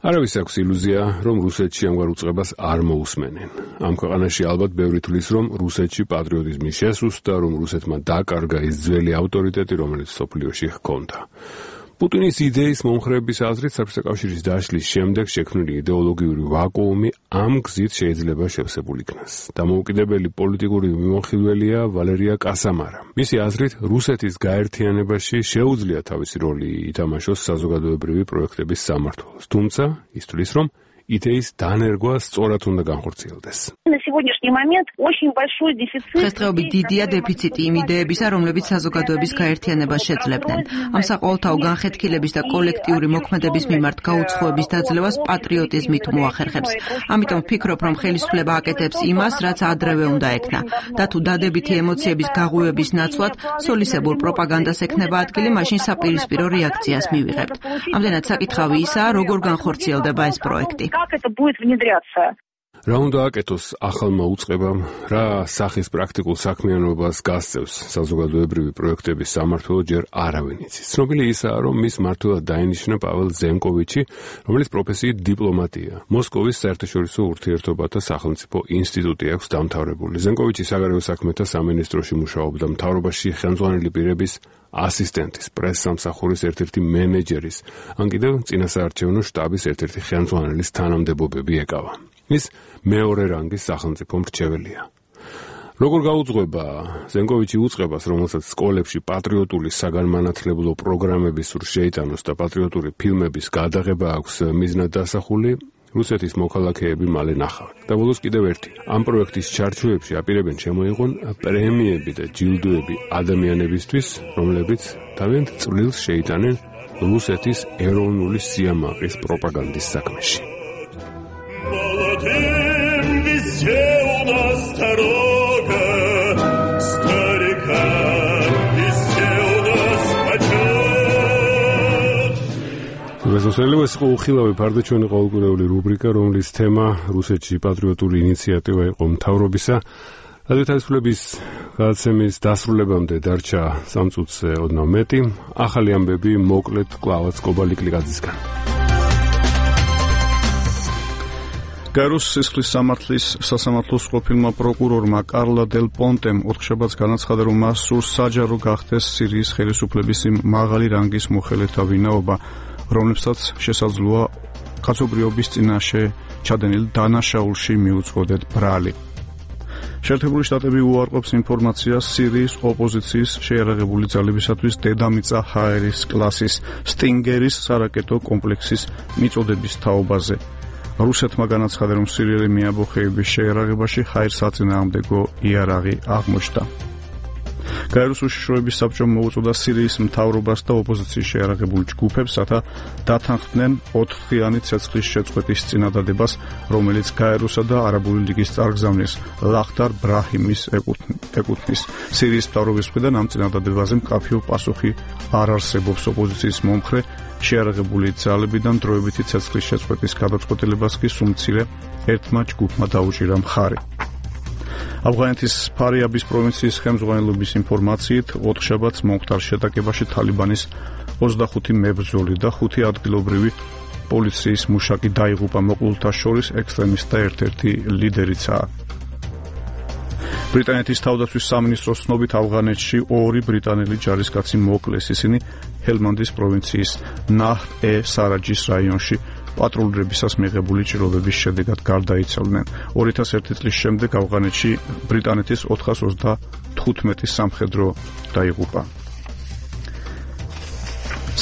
არავის აქვს ილუზია, რომ რუსეთში ამგვარ უწყებას არ მოусმენენ. ამ ქვეყანაში ალბათ ბევრი თვლის, რომ რუსეთში პატრიოტიზმი შესუსტდა, რომ რუსეთმა დაკარგა ის ძველი ავტორიტეტი, რომელიც სოფლიოში ჰქონდა. პუტინის იდეის მომხრეების აზრით, საბჭოთა კავშირის დაშლის შემდეგ შექმნილი იდეოლოგიური ვაკუუმი ამ გზით შეიძლება შევსებულ იქნას. დამოუკიდებელი პოლიტიკური მიმოხილველია ვალერია კასამარა. მისი აზრით, რუსეთის გაერთიანებაში შეუძლია თავისი როლი ითამაშოს საზოგადოებრივი პროექტების სამმართველოს. თუმცა, ის თვლის, რომ იდეის დანერგვა სწორად უნდა განხორციელდეს. დღესდღეობით დიდია დეფიციტი იმ იდეებისა, რომლებიც საზოგადოების გაერთიანებას შეძლებდნენ. ამ საყოველთაო განხეთქილების და კოლექტიური მოქმედების მიმართ გაუცხოების დაძლევას პატრიოტიზმით მოახერხებს. ამიტომ ვფიქრობ, რომ ხელისუფლება აკეთებს იმას, რაც ადრევე უნდა ექნა. და თუ დადებითი ემოციების გაღვივების ნაცვლად სოლისებურ პროპაგანდას ექნება ადგილი, მაშინ საპირისპირო რეაქციას მივიღებთ. ამდენად საკითხავი ისაა, როგორ განხორციელდება ეს პროექტი. რა უნდა აკეთოს ახალმა უწყებამ, რა სახის პრაქტიკულ საქმიანობას გასწევს საზოგადოებრივი პროექტების სამმართველო, ჯერ არავინ იცის. ცნობილი ისაა, რომ მის მმართველად დაინიშნა პაվել ზენკოვიჩი, რომელიც პროფესიით დიპლომატია. მოსკოვის საერთაშორისო ურთიერთობათა სახელმწიფო ინსტიტუტი აქვს დამთავრებული. ზენკოვიჩი საგარეო საქმეთა სამინისტროში მუშაობდა, მთავრობაში ხელმძღვანელი პირების ასისტენტის, პრესსამსახურის ერთ-ერთი მენეჯერის, ან კიდევ წინასაარჩევნო შტაბის ერთ-ერთი ხელმძღვანელის თანამდებობები ეკავა. ის მეორე რანგის სახელმწიფო მრჩეველია. როგორ გაუძღვება ზენკოვიჩი უწყებას, რომელსაც სკოლებში პატრიოტული საგანმანათლებლო პროგრამები სურს შეიტანოს და პატრიოტული ფილმების გადაღება აქვს მიზნად დასახული, რუსეთის მოქალაქეები მალე ნახავენ. და ბოლოს კიდევ ერთი. ამ პროექტის ჩარჩოებში აპირებენ შემოიღონ პრემიები და ჯილდოები ადამიანებისთვის, რომლებიც თავიანთ წვლილს შეიტანენ რუსეთის ეროვნული სიამაყის პროპაგანდის საქმეში. ეს იყო უხილავი ფარდაჩვენი ყოველკვირეული რუბრიკა, რომლის თემა რუსეთში პატრიოტული ინიციატივა იყო მთავრობისა. რადიო თავისუფლების გადაცემის დასრულებამდე დარჩა 3 წუთზე ოდნავ მეტი. ახალი ამბები მოკლედ კლავაც კობალიკლიკაძისგან. გაეროს სისხლის სამართლის სასამართლოს ყოფილმა პროკურორმა კარლა დელ პონტემ ოთხშაბათს განაცხადა, რომ მას სურს საჯარო გახდეს სირიის ხელისუფლების იმ მაღალი რანგის მოხელეთა ვინაობა, რომლებსაც შესაძლოა კაცობრიობის წინაშე ჩადენილ დანაშაულში მიუძღოდეთ ბრალი. შეერთებული შტატები უარყოფს ინფორმაციას სირიის ოპოზიციის შეიარაღებული ძალებისათვის დედამიწა ჰაერის კლასის სტინგერის სარაკეტო კომპლექსის მიწოდების თაობაზე. რუსეთმა განაცხადა, რომ სირიელი მეამბოხეების შეიარაღებაში ჰაერსაწინააღმდეგო იარაღი აღმოჩნდა. გაეროს უშიშროების საბჭომ მოუწოდა სირიის მთავრობას და ოპოზიციის შეიარაღებულ ჯგუფებს, რათა დათანხმდნენ 4-დღიანი ცეცხლის შეწყვეტის წინადადებას, რომელიც გაეროსა და არაბული ლიგის წარგზავნის ლახტარ ბრაჰიმის ეკუთვნის. სირიის მთავრობის მხრიდან ამ წინადადებაზე მკაფიო პასუხი არ არსებობს. ოპოზიციის მომხრე შეიარაღებული ძალებიდან დროებითი ცეცხლის შეწყვეტის გადაწყვეტილებას კი სულ მცირე ერთმა ჯგუფმა დაუჭირა მხარი. ავღანეთის ფარიაბის პროვინციის ხელმძღვანელობის ინფორმაციით, ოთხშაბათს მომხდარ შეტაკებაში თალიბანის 25 მებრძოლი და 5 ადგილობრივი პოლიციის მუშაკი დაიღუპა. მოკლულთა შორის ექსტრემისტთა ერთ-ერთი ლიდერიცაა. ბრიტანეთის თავდაცვის სამინისტროს ცნობით, ავღანეთში 2 ბრიტანელი ჯარისკაცი მოკლეს. ისინი ჰელმანდის პროვინციის ნაჰრ-ე-სარაჯის რაიონში პატრულირებისას მიღებული ჭრილობების შედეგად გარდაიცვალნენ. 2001 წლის შემდეგ ავღანეთში ბრიტანეთის 425 სამხედრო დაიღუპა.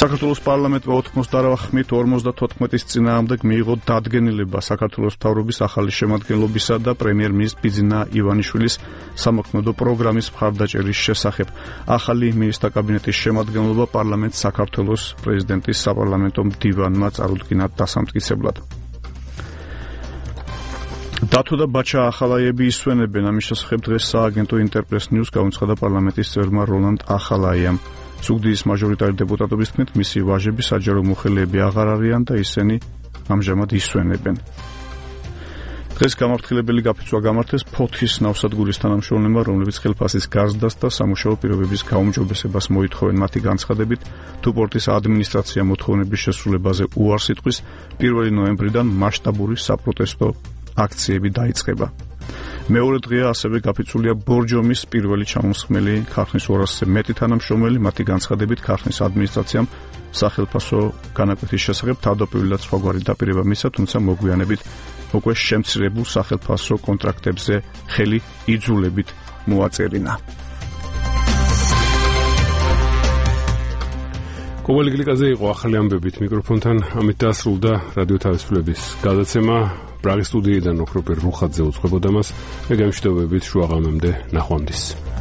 საქართველოს პარლამენტმა 88 54-ის წინააღმდეგ მიიღო დადგენილება საქართველოს მთავრობის ახალი შემადგენლობისა და პრემიერ-მინისტრ ბიძინა ივანიშვილის სამოქმედო პროგრამის მხარდაჭერის შესახებ. ახალი მინისტრთა კაბინეტის შემადგენლობა პარლამენტს საქართველოს პრეზიდენტის საპარლამენტო მდივანმა წარუდგინა დასამტკიცებლად. დათო და ბაჩა ახალაიები ისვენებენ. ამის შესახებ დღეს სააგენტო ინტერპრეს ნიუს გაუცხადა პარლამენტის წევრმა როლანდ ახალაიამ. სუგდიის მაჟორიტარი დეპუტატობის თქმით, მისი ვაჟები საჯარო მოხელეები აღარ არიან და ისინი ამჟამად ისვენებენ. დღეს გამართლებელი გაფიცვა გამართეს ფოთის ნავსადგურის თანამშრომლებმა, რომლებიც ხელფასის გაზრდას და სამუშაო პირობების გაუმჯობესებას მოითხოვენ. მათი განცხადებით, თუ პორტის ადმინისტრაცია მოთხოვნების შესრულებაზე უარს იტყვის, 1 ნოემბრიდან მასშტაბური საპროტესტო აქციები დაიწყება. მეორე დღეა ასევე გაფიცულია ბორჯომის პირველი ჩამოსხმელი ქარხნის 200-ზე მეტი თანამშრომელი. მათი განცხადებით, ქარხნის ადმინისტრაციამ სახელფასო განაკვეთის შესახებ თავდაპირველად სხვაგვარი დაპირება მისცა, თუმცა მოგვიანებით უკვე შემცირებულ სახელფასო კონტრაქტებზე ხელი იძულებით მოაწერინა. კობალი გლიკაძე იყო ახალი ამბებით მიკროფონთან. ამით დასრულდა რადიო თავისუფლების გადაცემა. პრაღის სტუდიიდან ოქროპერ რუხაძე უძღვებოდა მას. მე გამშვიდობებით შუაღამემდე ნახვამდის.